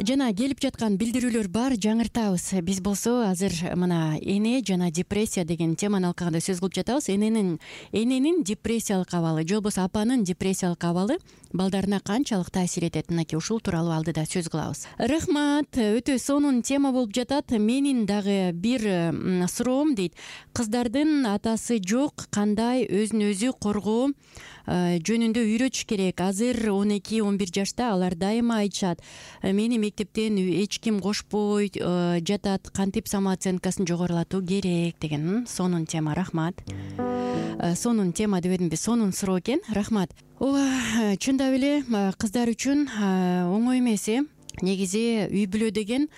Speaker 2: Жана келип жаткан билдирүүлөр бар, жаңыртабыз. Биз болсо азыр мына эне жана депрессия деген теманы алкагында сөз кылып жатабыз. Эненин эненин депрессиялык абалы, же болбосо апанын депрессиялык абалы балдарына канчалык таасир этет, мынакей ушул тууралуу алдыда сөз кылабыз. Рахмат, өтө сонун тема болуп жатат. Менин дагы бир суроом дейт. Кыздардын атасы жок, кандай өзүн өзү коргоо жөнүндө үйрөтүш керек. Азыр он эки он бир жашта алар дайыма айтышат, мени мектептен эч ким кошпой жатат, кантип самооценкасын жогорулатуу керек деген сонун тема. Рахмат. Сонун тема дебедимби? Сонун суроо экен. Рахмат. Ооба, чындап эле кыздар үчүн оңой эмес, э? Негизи үй бүлө деген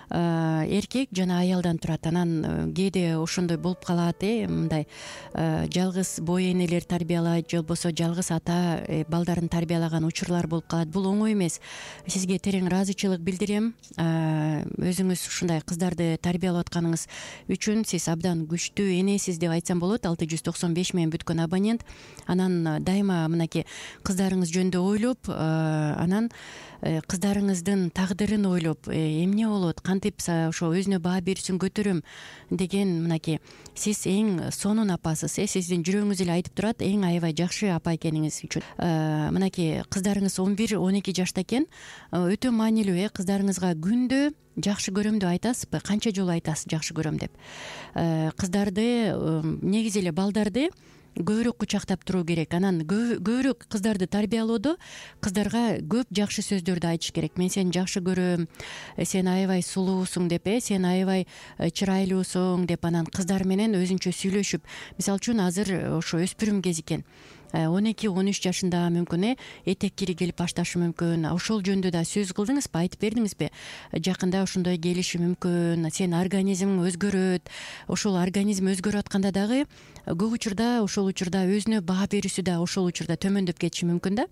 Speaker 2: эркек жана аялдан турат. Анан кээде ошондой болуп калат, э, мындай жалгыз бой энелер тарбиялайт, же болбосо жалгыз ата балдарын тарбиялаган учурлар болуп калат. Бул оңой эмес. Сизге терең ыраазычылык билдирем. Өзүңүз ушундай кыздарды тарбиялап атканыңыз үчүн сиз абдан күчтүү энесиз деп айтсам болот. алты жүз токсон беш менен бүткөн абонент. Анан дайыма мынакей кыздарыңыз жөнүндө ойлоп, анан кыздарыңыздын тагдырын ойлоп, эмне болот, кантип ошо өзүнө баа берүүсүн көтөрөм деген мынакей сиз эң сонун апасыз, э? Сиздин жүрөгүңүз эле айтып турат, эң аябай жакшы апа экениңиз үчүн. Мынакей кыздарыңыз он бир он эки жашта экен. Өтө маанилүү, э? Кыздарыңызга күндө жакшы көрөм деп айтасызбы? Канча жолу айтасыз жакшы көрөм деп? Кыздарды, негизи эле балдарды көбүрөөк кучактап туруу керек. Анан көбүрөөк кыздарды тарбиялоодо кыздарга көп жакшы сөздөрдү айтыш керек. Мен сени жакшы көрөм, сен аябай сулуусуң деп, э, сен аябай чырайлуусуң деп, анан кыздар менен өзүнчө сүйлөшүп. Мисалы үчүн азыр ошо өспүрүм кез экен. он эки он үч жашында мүмкүн, э, этек кири келип башташы мүмкүн. Ошол жөнүндө да сөз кылдыңызбы, айтып бердиңизби? Жакында ошондой келиши мүмкүн. Сен организмиң өзгөрөт. Ошол организм өзгөрүп атканда дагы көп учурда ошол учурда өзүнө баа берүүсү да ошол учурда төмөндөп кетиши мүмкүн да.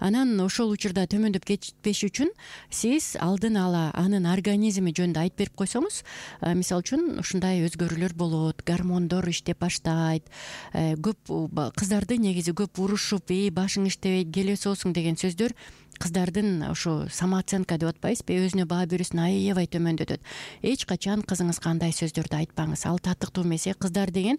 Speaker 2: Анан ошол учурда төмөндөп кетпеш үчүн сиз алдын ала анын организми жөнүндө айтып берип койсоңуз, мисалы үчүн ушундай өзгөрүүлөр болот, гормондор иштеп баштайт. Көп кыздарды негизи негизи көп урушуп и башың иштебейт келесиосуң деген сөздөр кыздардын ошо самооценка деп атпайбызбы, өзүнө баа берүүсүн аябай төмөндөтөт. Эч качан кызыңызга андай сөздөрдү айтпаңыз, ал татыктуу эмес. Кыздар деген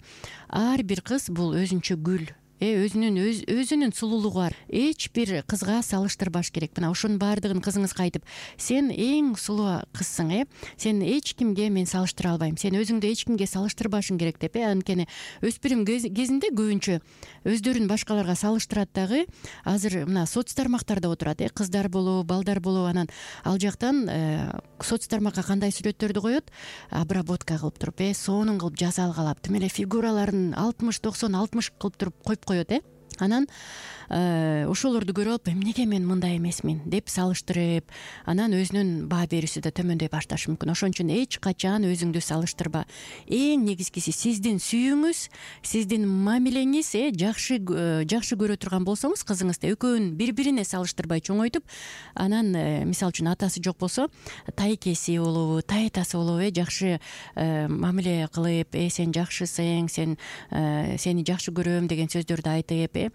Speaker 2: ар бир кыз бул өзүнчө гүл, өзүнүн өзүнүн сулуулугу бар. Эч бир кызга салыштырбаш керек. Мына ошонун баардыгын кызыңызга айтып, сен эң сулуу кызсың, э сен эч кимге мен салыштыра албайм, сен өзүңдү эч кимге салыштырбашың керек деп. э Анткени өспүрүм кезинде көбүнчө өздөрүн башкаларга салыштырат дагы. Азыр мына соц тармактарда отурат, э кыздар болобу, балдар болобу, анан ал жактан соц тармакка кандай сүрөттөрдү коет, обработка кылып туруп, э сонун кылып жасалгалап, тим эле фигураларын алтымыш токсон алтымыш кылып туруп коюп коет. э Анан ошолорду көрүп алып, эмнеге мен мындай эмесмин деп салыштырып, анан өзүнүн баа берүүсү да төмөндөй башташы мүмкүн. Ошон үчүн эч качан өзүңдү салыштырба. Эң негизгиси сиздин сүйүүңүз, сиздин мамилеңиз, э жакшы жакшы көрө турган болсоңуз кызыңызды экөөнүн бири бирине салыштырбай чоңойтуп, анан мисалы үчүн атасы жок болсо тайкеси болобу, тайтасы болобу, э жакшы мамиле кылып, э сен жакшысың, сен сени жакшы көрөм деген сөздөрдү айтып, э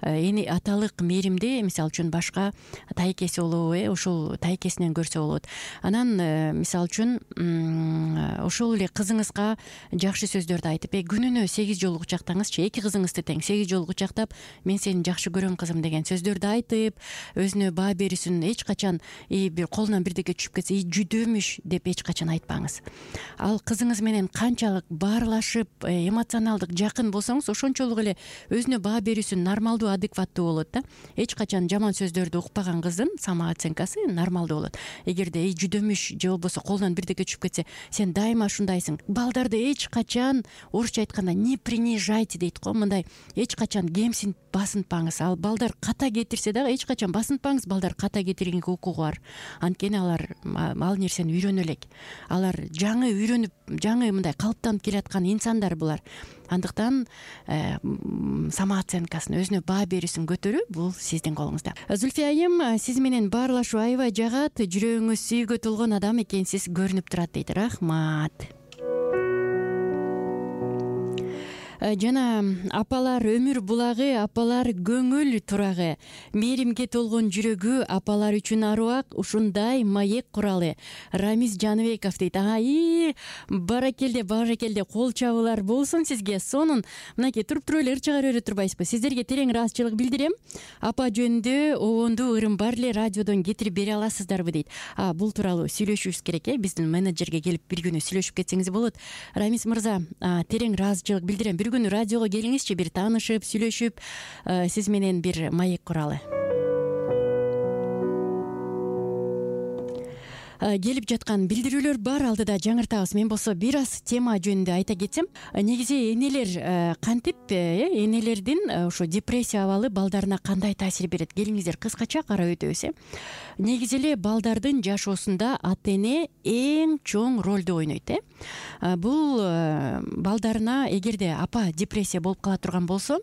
Speaker 2: эни аталык мээримди мисалы үчүн башка тайкеси болобу, э ошол тайкесинен көрсө болот. Анан мисалы үчүн ошол эле кызыңызга жакшы сөздөрдү айтып, э күнүнө сегиз жолу кучактаңызчы, эки кызыңызды тең сегиз жолу кучактап, мен сени жакшы көрөм кызым деген сөздөрдү айтып, өзүнө баа берүүсүн эч качан бир колунан бирдеке түшүп кетсе, жүдөмүш деп эч качан айтпаңыз. Ал кызыңыз менен канчалык баарлашып, эмоционалдык жакын болсоңуз, ошончолук эле өзүнө баа берүүсү нормалдуу, адекваттуу болот да. Эч качан жаман сөздөрдү укпаган кыздын самооценкасы нормалдуу болот. Эгерде эй жүдөмүш же болбосо колунан бирдеке түшүп кетсе, сен дайыма ушундайсың. Балдарды эч качан орусча айтканда не принижайте дейт го, мындай эч качан кемсинтип басынтпаңыз. Ал балдар ката кетирсе дагы эч качан басынтпаңыз, балдар ката кетиргенге укугу бар. Анткени алар ал нерсени үйрөнө элек. Алар жаңы үйрөнүп, жаңы мындай калыптанып келаткан инсандар булар. Андыктан самооценкасын, өзүнө баа берүүсүн көтөрүү бул сиздин колуңузда. Зульфия айым, сиз менен баарлашуу аябай жагат, жүрөгүңүз сүйүүгө толгон адам экенсиз көрүнүп турат дейт. Рахмат. Жана апалар өмүр булагы, апалар көңүл турагы, мээримге толгон жүрөгү, апалар үчүн аруак, ушундай маек куралы. Рамиз Жаныбеков дейт. Ай, баракелде, баракелде, кол чабуулар болсун сизге. Сонун мынакей туруп туруп эле ыр чыгара бере турбайсызбы? Сиздерге терең ыраазычылык билдирем. Апа жөнүндө обондуу ырым бар эле, радиодон кетирип бере аласыздарбы дейт. А, бул тууралуу сүйлөшүшүбүз керек, э биздин менеджерге келип бир күнү сүйлөшүп кетсеңиз болот. Рамиз мырза, терең ыраазычылык билдирем. Бир күнү радиого келиңизчи, бир таанышып, сүйлөшүп, сиз менен бир маек куралы. Келип жаткан билдирүүлөр бар, алдыда жаңыртабыз. Мен болсо бир аз тема жөнүндө айта кетсем, негизи энелер кантип, энелердин ошо депрессия абалы балдарына кандай таасир берет? Келиңиздер кыскача карап өтөбүз, э негизи эле балдардын жашоосунда ата эне эң чоң ролду ойнойт, э бул балдарына, эгерде апа депрессия болуп кала турган болсо,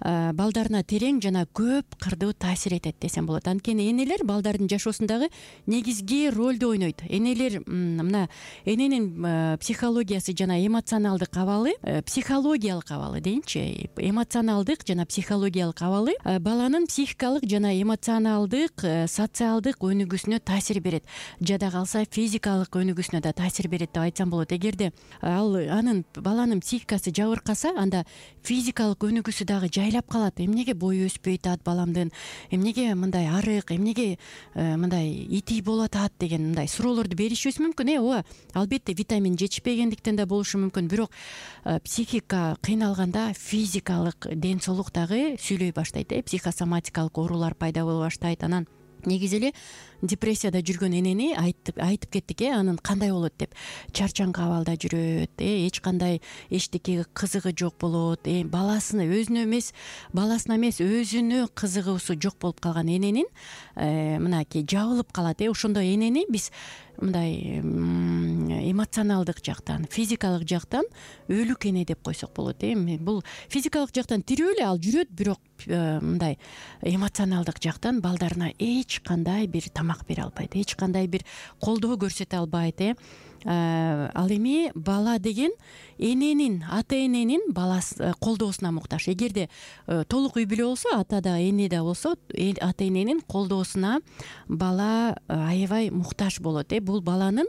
Speaker 2: балдарына терең жана көп кырдуу таасир этет десем болот. Анткени энелер балдардын жашоосундагы негизги ролду ойнойт. Энелер мына эненин психологиясы жана эмоционалдык абалы, психологиялык абалы дейинчи, эмоционалдык жана психологиялык абалы баланын психикалык жана эмоционалдык, социалдык өнүгүүсүнө таасир берет. Жада калса физикалык өнүгүүсүнө да таасир берет деп айтсам болот. Эгерде ал анын баланын психикасы жабыркаса, анда физикалык өнүгүүсү дагы жайлап калат. Эмнеге бою өспөй атат баламдын, эмнеге мындай арык, эмнеге мындай итий болуп атат деген мындай суроолорду беришибиз мүмкүн. Э ооба, албетте витамин жетишпегендиктен да болушу мүмкүн, бирок психика кыйналганда физикалык ден соолук дагы сүйлөй баштайт, э психосоматикалык оорулар пайда боло баштайт. Анан негизи эле депрессияда жүргөн энени айтып айтып кеттик, э анын кандай болот деп. Чарчаңкы абалда жүрөт, э эч кандай эчтекеге кызыгы жок болот, э баласына өзүнө эмес, баласына эмес өзүнө кызыгуусу жок болуп калган эненин мынакей жабылып калат, э ошондой энени биз мындай эмоционалдык жактан, физикалык жактан өлүк эне деп койсок болот, э бул физикалык жактан тирүү эле, ал жүрөт, бирок мындай эмоционалдык жактан балдарына эч кандай бир тамак бере албайт, эч кандай бир колдоо көрсөтө албайт, э ал эми бала деген эненин ата эненин баласы колдоосуна муктаж. Эгерде толук үй бүлө болсо, ата да эне да болсо, ата эненин колдоосуна бала аябай муктаж болот. Э бул баланын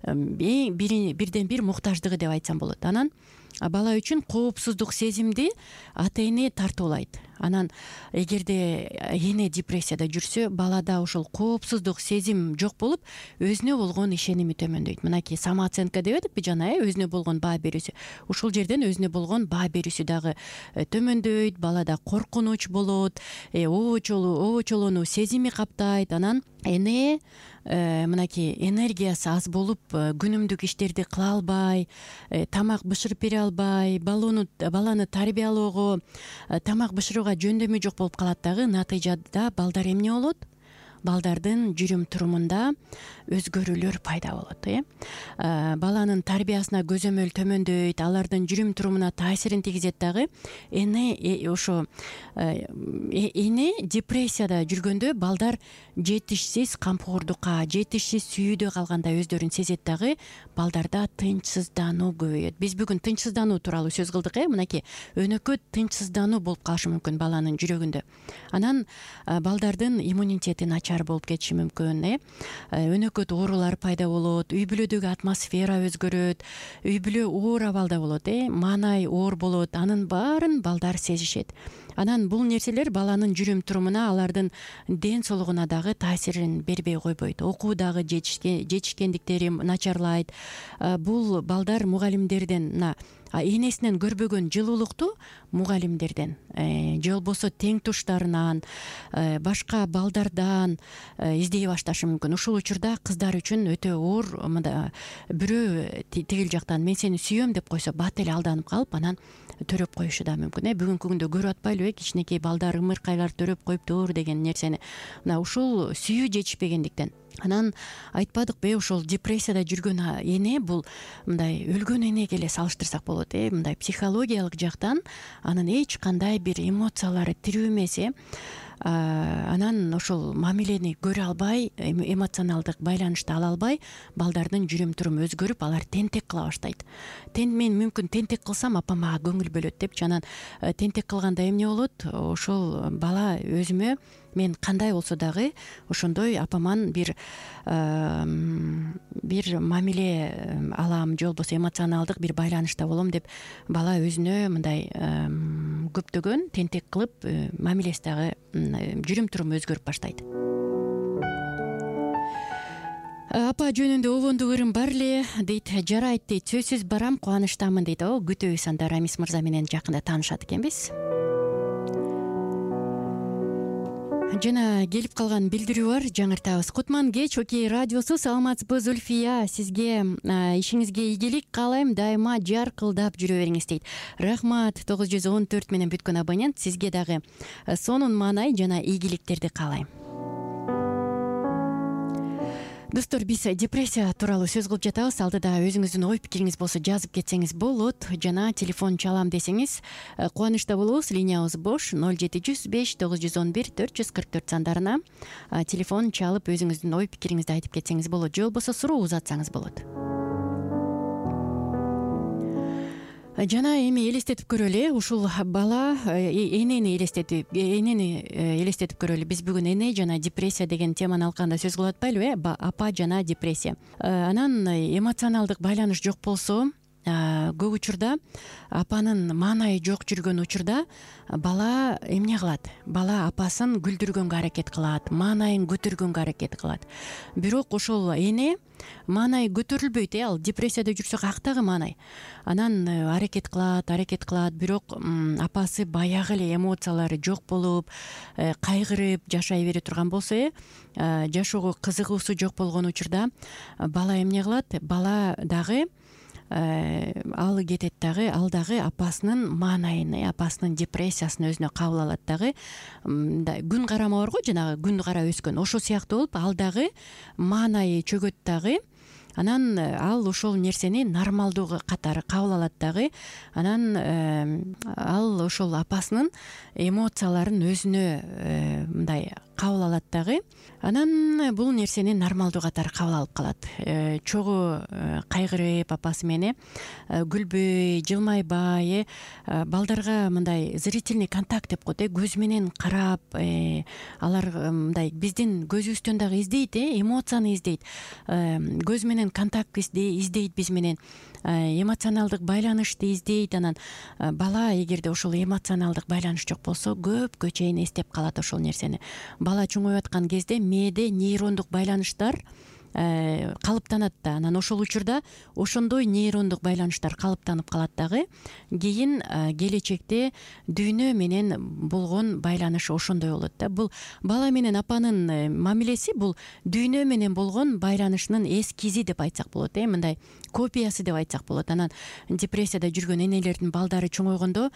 Speaker 2: бирден бир муктаждыгы деп айтсам болот. Анан бала үчүн коопсуздук сезимди ата эне тартуулайт. Анан эгерде эне депрессияда жүрсө, балада ошол коопсуздук сезим жок болуп, өзүнө болгон ишеними төмөндөйт. Мынакей самооценка деп атпы жана, э өзүнө болгон баа берүүсү. Ушул жерден өзүнө болгон баа берүүсү дагы төмөндөйт, балада коркунуч болот, обочолонуу сезими каптайт. Анан эне мынакей энергиясы аз болуп, күнүмдүк иштерди кыла албай, тамак бышырып бере албай, баланы тарбиялоого, тамак бышырууга жөндөмү жок болуп калат дагы. Натыйжада балдар эмне болот? Балдардын жүрүм турумунда өзгөрүүлөр пайда болот. э Баланын тарбиясына көзөмөл төмөндөйт, алардын жүрүм турумуна таасирин тийгизет дагы. Эне ошо эне депрессияда жүргөндө балдар жетишсиз камкордукка, жетишсиз сүйүүдө калганда өздөрүн сезет дагы. Балдарда тынчсыздануу көбөйөт. Биз бүгүн тынчсыздануу тууралуу сөз кылдык. э Мынакей өнөкөт тынчсыздануу болуп калышы мүмкүн баланын жүрөгүндө. Анан балдардын иммунитети начар болуп кетиши мүмкүн. э Өнөкөт оорулар пайда болот, үй бүлөдөгү атмосфера өзгөрөт, үй бүлө оор абалда болот. э Маанай оор болот. Анын баарын балдар сезишет. Анан бул нерселер баланын жүрүм турумуна, алардын ден соолугуна дагы таасирин бербей койбойт. Окуудагы жетишкендиктери начарлайт. Бул балдар мугалимдерден, мына энесинен көрбөгөн жылуулукту мугалимдерден же болбосо тең туштарынан, башка балдардан издей башташы мүмкүн. Ушул учурда кыздар үчүн өтө оор. Бирөө тигил жактан мен сени сүйөм деп койсо, бат эле алданып калып, анан төрөп коюшу да мүмкүн. э Бүгүнкү күндө көрүп атпайлыбы, э кичинекей балдар ымыркайлар төрөп коюптур деген нерсени. Мына ушул сүйүү жетишпегендиктен. Анан айтпадыкпы, ошол депрессияда жүргөн эне бул мындай өлгөн энеге эле салыштырсак болот. э Мындай психологиялык жактан анын эч кандай бир эмоциялары тирүү эмес. э Анан ошол мамилени көрө албай, эмоционалдык байланышты ала албай, балдардын жүрүм туруму өзгөрүп, алар тентек кыла баштайт. Мен мүмкүн тентек кылсам, апа мага көңүл бөлөт депчи. Анан тентек кылганда эмне болот? Ошол бала өзүмө мен кандай болсо дагы ошондой апаман бир бир мамиле алам, же болбосо эмоционалдык бир байланышта болом деп бала өзүнө мындай көптөгөн тентек кылып, мамилеси дагы, жүрүм туруму өзгөрүп баштайт. Апа жөнүндө обондук ырым бар эле дейт. Жарайт дейт. Сөзсүз барам, кубанычтамын дейт. О, күтөбүз анда Рамис мырза менен жакында таанышат экенбиз. Жана келип калган билдирүү бар, жаңыртабыз. Кутман кеч, Окей радиосу. Саламатсызбы, Зульфия? Сизге ишиңизге ийгилик каалайм, дайыма жаркылдап жүрө бериңиз дейт. Рахмат. тогуз жүз он төрт менен бүткөн абонент. Сизге дагы сонун маанай жана ийгиликтерди каалайм. Достор, биз депрессия тууралуу сөз кылып жатабыз. Алдыда өзүңүздүн ой пикириңиз болсо жазып кетсеңиз болот. Жана телефон чалам десеңиз кубанычта болобуз. Линиябыз бош. ноль жети жүз беш тогуз жүз он бир төрт жүз кырк төрт сандарына телефон чалып өзүңүздүн ой пикириңизди айтып кетсеңиз болот. Же болбосо суроо узатсаңыз болот. Жана эми элестетип көрөлү. Ушул бала энени элестетип, энени элестетип көрөлү. Биз бүгүн эне жана депрессия деген теманы алканда сөз кылып атпайлыбы? Апа жана депрессия. Анан эмоционалдык байланыш жок болсо, көп учурда апанын маанайы жок жүргөн учурда бала эмне кылат? Бала апасын күлдүргөнгө аракет кылат, маанайын көтөргөнгө аракет кылат. Бирок ошол эне маанай көтөрүлбөйт. Ал депрессияда жүрсө каяктагы маанай? Анан аракет кылат, аракет кылат, бирок апасы баягы эле эмоциялары жок болуп, кайгырып жашай бере турган болсо, жашоого кызыгуусу жок болгон учурда бала эмне кылат? Бала дагы ал кетет дагы, ал дагы апасынын маанайын, апасынын депрессиясын өзүнө кабыл алат дагы. Күн карама бар го, жанагы күн кара өскөн, ошол сыяктуу болуп, ал дагы маанайы чөгөт дагы. Анан ал ошол нерсени нормалдуу катары кабыл алат дагы. Анан ал ошол апасынын эмоцияларын өзүнө мындай кабыл алат дагы. Анан бул нерсени нормалдуу катары кабыл алып калат. Чогуу кайгырып апасы менен күлбөй, жылмайбай, балдарга мындай зрительный контакт деп коет, көз менен карап, алар мындай биздин көзүбүздөн дагы издейт, эмоцияны издейт, көз менен контакт издейт, биз менен эмоционалдык байланышты издейт. Анан бала эгерде ошол эмоционалдык байланыш жок болсо көпкө чейин эстеп калат ошол нерсени. Бала чоңоюп аткан кезде мээде нейрондук байланыштар калыптанат да, анан ошол учурда ошондой нейрондук байланыштар калыптанып калат дагы. Кийин келечекте дүйнө менен болгон байланыш ошондой болот да. Бул бала менен апанын мамилеси бул дүйнө менен болгон байланышынын эскизи деп айтсак болот, э мындай копиясы деп айтсак болот. Анан депрессияда жүргөн энелердин балдары чоңойгондо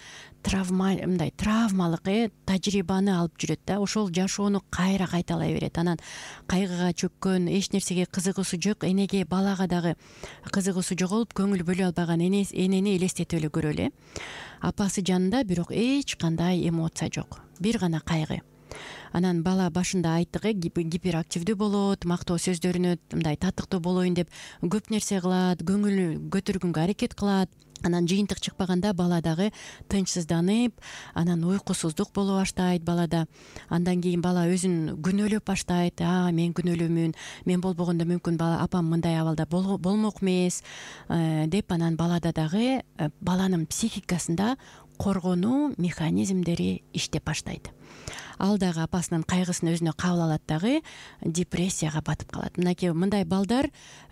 Speaker 2: травма мындай травмалык э тажрыйбаны алып жүрөт да, ошол жашоону кайра кайталай берет. Анан кайгыга чөккөн, эч нерсеге кызыгуусу жок энеге, балага дагы кызыгуусу жоголуп, көңүл бөлө албаган энени элестетип эле көрөлү. Апасы жанында бирок эч кандай эмоция жок, бир гана кайгы. Анан бала башында айттык, гиперактивдүү болот, мактоо сөздөрүнө мындай татыктуу болоюн деп көп нерсе кылат, көңүл көтөргөнгө аракет кылат. Анан жыйынтык чыкпаганда бала дагы тынчсызданып, анан уйкусуздук боло баштайт балада. Андан кийин бала өзүн күнөөлөп баштайт. А, мен күнөөлүүмүн, мен болбогондо мүмкүн бала апам мындай абалда болмок эмес деп. Анан балада дагы баланын психикасында коргонуу механизмдери иштеп баштайт. Ал дагы апасынын кайгысын өзүнө кабыл алат дагы, депрессияга батып калат. Мынакей мындай балдар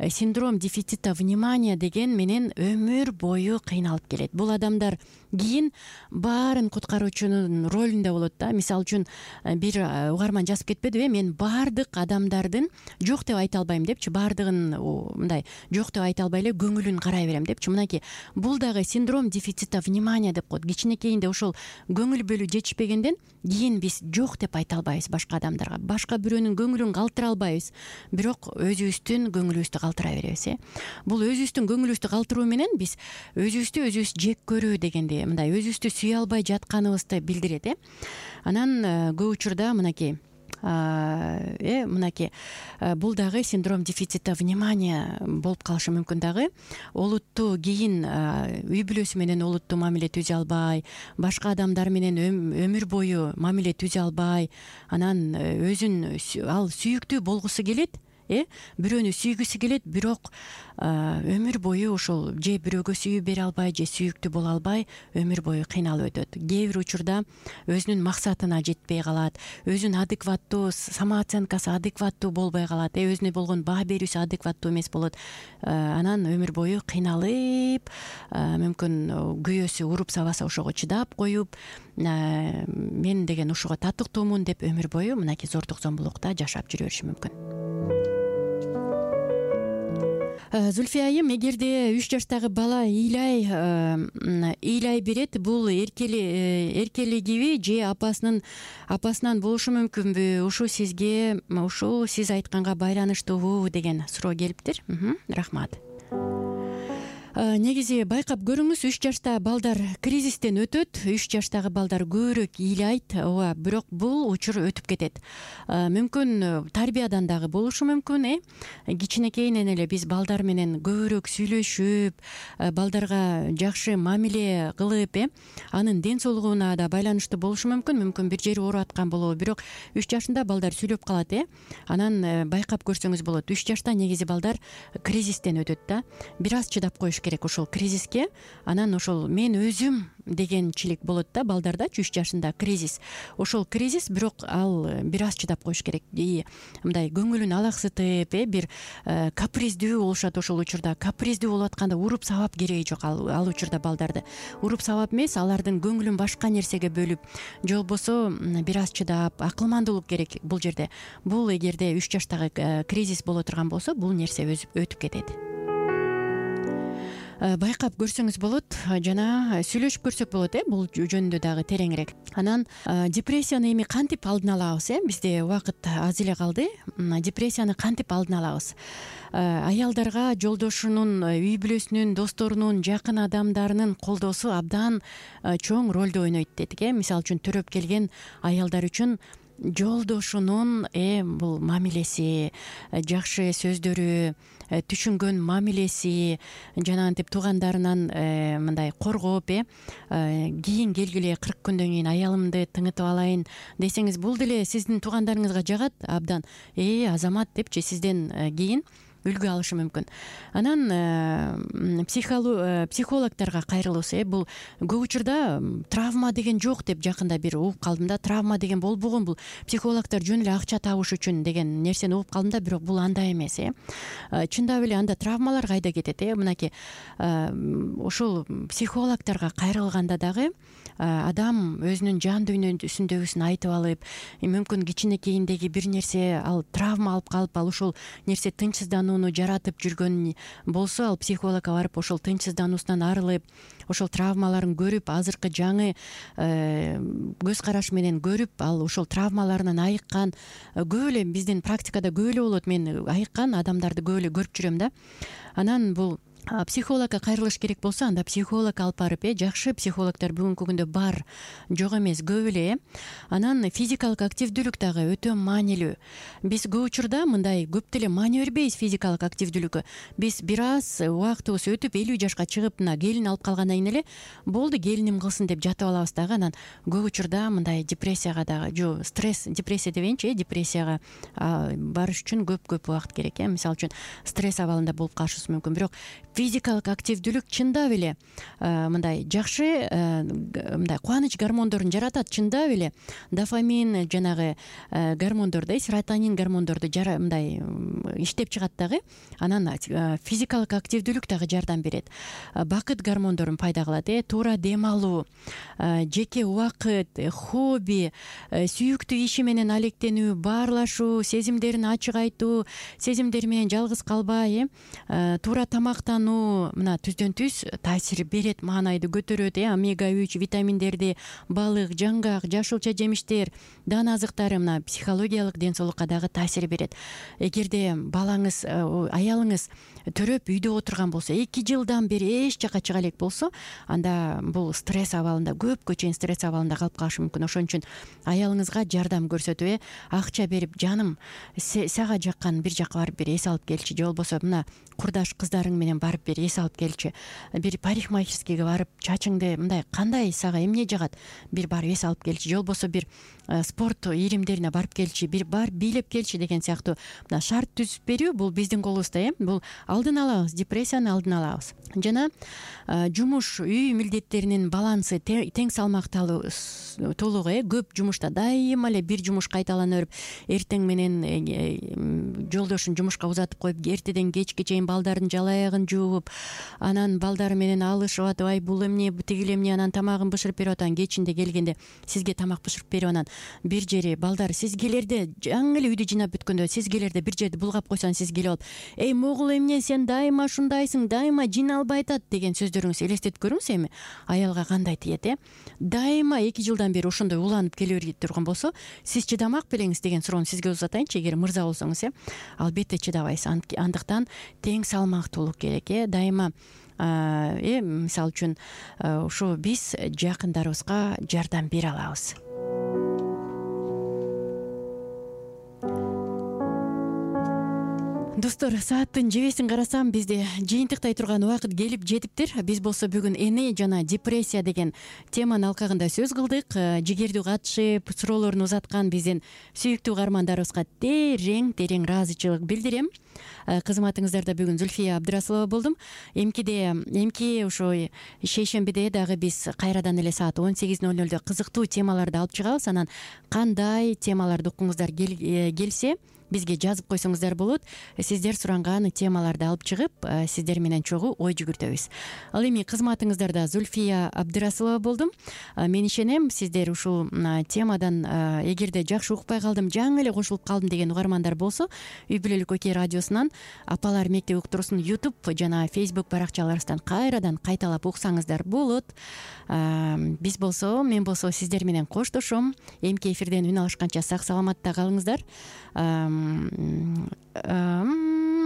Speaker 2: синдром дефицита внимания деген менен өмүр бою кыйналып келет. Бул адамдар кийин баарын куткаруучунун ролунда болот да. Мисалы үчүн бир угарман жазып кетпедиби, мен баардык адамдардын жок деп айта албайм депчи, баардыгын мындай жок деп айта албай эле көңүлүн карай берем депчи. Мынакей бул дагы синдром дефицита внимания деп коет. Кичинекейинде ошол көңүл бөлүү жетишпегенден кийин биз жок деп айта албайбыз башка адамдарга, башка бирөөнүн көңүлүн калтыра албайбыз, бирок өзүбүздүн көңүлүбүздү калтыра беребиз. э Бул өзүбүздүн көңүлүбүздү калтыруу менен биз өзүбүздү өзүбүз жек көрүү дегенди, мындай өзүбүздү сүйө албай жатканыбызды билдирет. э Анан көп учурда мынакей э мынакей бул дагы синдром дефицита внимания болуп калышы мүмкүн дагы. Олуттуу кийин үй бүлөсү менен олуттуу мамиле түзө албай, башка адамдар менен өмүр бою мамиле түзө албай, анан өзүн ал сүйүктүү болгусу келет, э бирөөнү сүйгүсү келет, бирок өмүр бою ошол же бирөөгө сүйүү бере албай, же сүйүктүү боло албай өмүр бою кыйналып өтөт. Кээ бир учурда өзүнүн максатына жетпей калат, өзүнүн адекваттуу самооценкасы адекваттуу болбой калат, э өзүнө болгон баа берүүсү адекваттуу эмес болот. Анан өмүр бою кыйналып, мүмкүн күйөөсү уруп сабаса ошого чыдап коюп, мен деген ушуга татыктуумун деп өмүр бою мынакей зордук зомбулукта жашап жүрө бериши мүмкүн. Зульфия айым, эгерде үч жаштагы бала ыйлай ыйлай берет, бул эркели эркелигиби же апасынын апасынан болушу мүмкүнбү? Ушу сизге, ушу сиз айтканга байланыштуубу деген суроо келиптир. Рахмат. Негизи байкап көрүңүз, үч жашта балдар кризистен өтөт, үч жаштагы балдар көбүрөөк ыйлайт, ооба, бирок бул учур өтүп кетет. Мүмкүн тарбиядан дагы болушу мүмкүн, э кичинекейинен эле биз балдар менен көбүрөөк сүйлөшүп, балдарга жакшы мамиле кылып, э анын ден соолугуна да байланыштуу болушу мүмкүн. Мүмкүн бир жери ооруп аткан болобу, бирок үч жашында балдар сүйлөп калат, э анан байкап көрсөңүз болот. үч жашта негизи балдар кризистен өтөт да. Бир аз чыдап коюш керек ошол кризиске. Анан ошол мен өзүм дегенчилик болот да балдардачы, үч жашында кризис. Ошол кризис, бирок ал бир аз чыдап коюш керек. Мындай көңүлүн алаксытып, э бир каприздүү болушат ошол учурда. Каприздүү болуп атканда уруп сабап кереги жок ал ал учурда балдарды. Уруп сабап эмес, алардын көңүлүн башка нерсеге бөлүп, же болбосо бир аз чыдап, акылмандуулук керек бул жерде. Бул эгерде үч жаштагы кризис боло турган болсо, бул нерсе өтүп кетет. Байкап көрсөңүз болот, жана сүйлөшүп көрсөк болот, э бул жөнүндө дагы тереңирээк. Анан депрессияны эми кантип алдын алабыз, э бизде убакыт аз эле калды. Депрессияны кантип алдын алабыз? Аялдарга жолдошунун, үй бүлөсүнүн, досторунун, жакын адамдарынын колдоосу абдан чоң ролду ойнойт дедик, э Мисалы үчүн төрөп келген аялдар үчүн жолдошунун э бул мамилеси, жакшы сөздөрү, түшүнгөн мамилеси, жанагынтип туугандарынан мындай коргоп э кийин келгиле кырк күндөн кийин аялымды тыңытып алайын десеңиз, бул деле сиздин туугандарыңызга жагат абдан. Э Азамат депчи сизден кийин үлгү алышы мүмкүн. Анан психологторго кайрылуусу, э бул көп учурда травма деген жок деп жакында бир угуп калдым да. Травма деген болбогон, бул психологтор жөн эле акча табыш үчүн деген нерсени угуп калдым да, бирок бул андай эмес. э Чындап эле анда травмалар кайда кетет? э Мынакей ушул психологторго кайрылганда дагы адам өзүнүн жан дүйнөсүндөгүсүн айтып алып, мүмкүн кичинекейиндеги бир нерсе, ал травма алып калып, ал ушул нерсе тынчсызданууну жаратып жүргөн болсо, ал психологко барып ошол тынчсыздануусунан арылып, ошол травмаларын көрүп, азыркы жаңы көз караш менен көрүп, ал ошол травмаларынан айыккан, көп эле биздин практикада көп эле болот. Мен айыккан адамдарды көп эле көрүп жүрөм да. Анан бул психологко кайрылыш керек болсо, анда психолог алып барып, э жакшы психологдор бүгүнкү күндө бар, жок эмес, көп эле. Анан физикалык активдүүлүк дагы өтө маанилүү. Биз көп учурда мындай көп деле маани бербейбиз физикалык активдүүлүккө. Биз бир аз убактыбыз өтүп элүү жашка чыгып, мына келин алып калгандан кийин эле болду, келиним кылсын деп жатып алабыз дагы. Анан көп учурда мындай депрессияга дагы, жо стресс, депрессия дебейинчи, э депрессияга барыш үчүн көп-көп убакыт керек. э Мисалы үчүн стресс абалында болуп калышыбыз мүмкүн. Бирок физикалык активдүүлүк чындап эле мындай жакшы мындай кубаныч гормондорун жаратат. Чындап эле дофамин, жанагы гормондорду, серотонин гормондорду мындай иштеп чыгат дагы. Анан физикалык активдүүлүк дагы жардам берет. Бакыт гормондорун пайда кылат. э Туура дем алуу, жеке убакыт, хобби, сүйүктүү иши менен алектенүү, баарлашуу, сезимдерин ачык айтуу, сезимдери менен жалгыз калбай, э туура тамактануу, мына түздөн түз таасир берет, маанайды көтөрөт. э омега үч витаминдерди, балык, жаңгак, жашылча жемиштер, дан азыктары мына психологиялык ден соолукка дагы таасир берет. Эгерде балаңыз, аялыңыз төрөп үйдө отурган болсо, эки жылдан бери эч жака чыга элек болсо, анда бул стресс абалында, көпкө чейин стресс абалында калып калышы мүмкүн. Ошон үчүн аялыңызга жардам көрсөтүп, э акча берип, жаным, сага жаккан бир жака барып бир эс алып келчи, же болбосо мына курдаш кыздарың менен барып бир эс алып келчи, бир парикмахерскийге барып чачыңды мындай кандай сага эмне жагат, бир барып эс алып келчи, же болбосо бир спорт ийримдерине барып келчи, бир бар бийлеп келчи деген сыяктуу мына шарт түзүп берүү, бул биздин колубузда. э Бул алдын алабыз, депрессияны алдын алабыз. Жана жумуш үй милдеттеринин балансы тең салмакталуу, э көп жумушта дайыма эле бир жумуш кайталана берип, эртең менен жолдошун жумушка узатып коюп, эртеден кечке чейин балдардын жала аягын жууп, анан балдары менен алышып атып, ай бул эмне, тигил эмне, анан тамагын бышырып берип атам, кечинде келгенде сизге тамак бышырып берип, анан бир жери балдар сиз келерде жаңы эле үйдү жыйнап бүткөндө сиз келерде бир жерди булгап койсоң, сиз келип алып, эй могул эмне, сен дайыма ушундайсың, дайыма жин албай атат деген сөздөрүңүз элестетип көрүңүз. Эми аялга кандай тиет? э Дайыма эки жылдан бери ошондой уланып келе берип турган болсо, сиз чыдамак белеңиз деген суроону сизге узатайынчы, эгер мырза болсоңуз. э Албетте чыдабайсыз. Андыктан тең салмактуулук керек. э Дайыма э мисалы үчүн ушу биз жакындарыбызга жардам бере алабыз. Достор, сааттын жебесин карасам, бизде жыйынтыктай турган убакыт келип жетиптир. Биз болсо бүгүн эне жана депрессия деген теманын алкагында сөз кылдык. Жигердүү катышып, суроолорун узаткан биздин сүйүктүү угармандарыбызга терең терең ыраазычылык билдирем. Кызматыңыздарда бүгүн Зүлфия Абдрасулова болдум. Эмкиде эмки ошо шейшембиде дагы биз кайрадан эле саат он сегиз ноль нолдо кызыктуу темаларды алып чыгабыз. Анан кандай темаларды уккуңуздар келсе, бизге жазып койсоңуздар болот. Сиздер суранган темаларды алып чыгып, сиздер менен чогуу ой жүгүртөбүз. Ал эми кызматыңыздарда Зүлфия Абдрасулова болдум. Мен ишенем, сиздер ушул темадан эгерде жакшы укпай калдым, жаңы эле кошулуп калдым деген угармандар болсо, Үй бүлөлүк Окей радиосунан Апалар мектеп уктуруусун YouTube жана Facebook баракчаларыбыздан кайрадан кайталап уксаңыздар болот. Биз болсо, мен болсо сиздер менен коштошом. Эмки эфирден үн алышканча сак саламатта калыңыздар.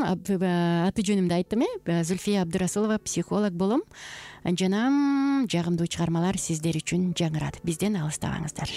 Speaker 2: Аты жөнүмдү айттым, э Зүлфия Абдрасулова, психолог болом. Жана жагымдуу чыгармалар сиздер үчүн жаңырат. Бизден алыстабаңыздар.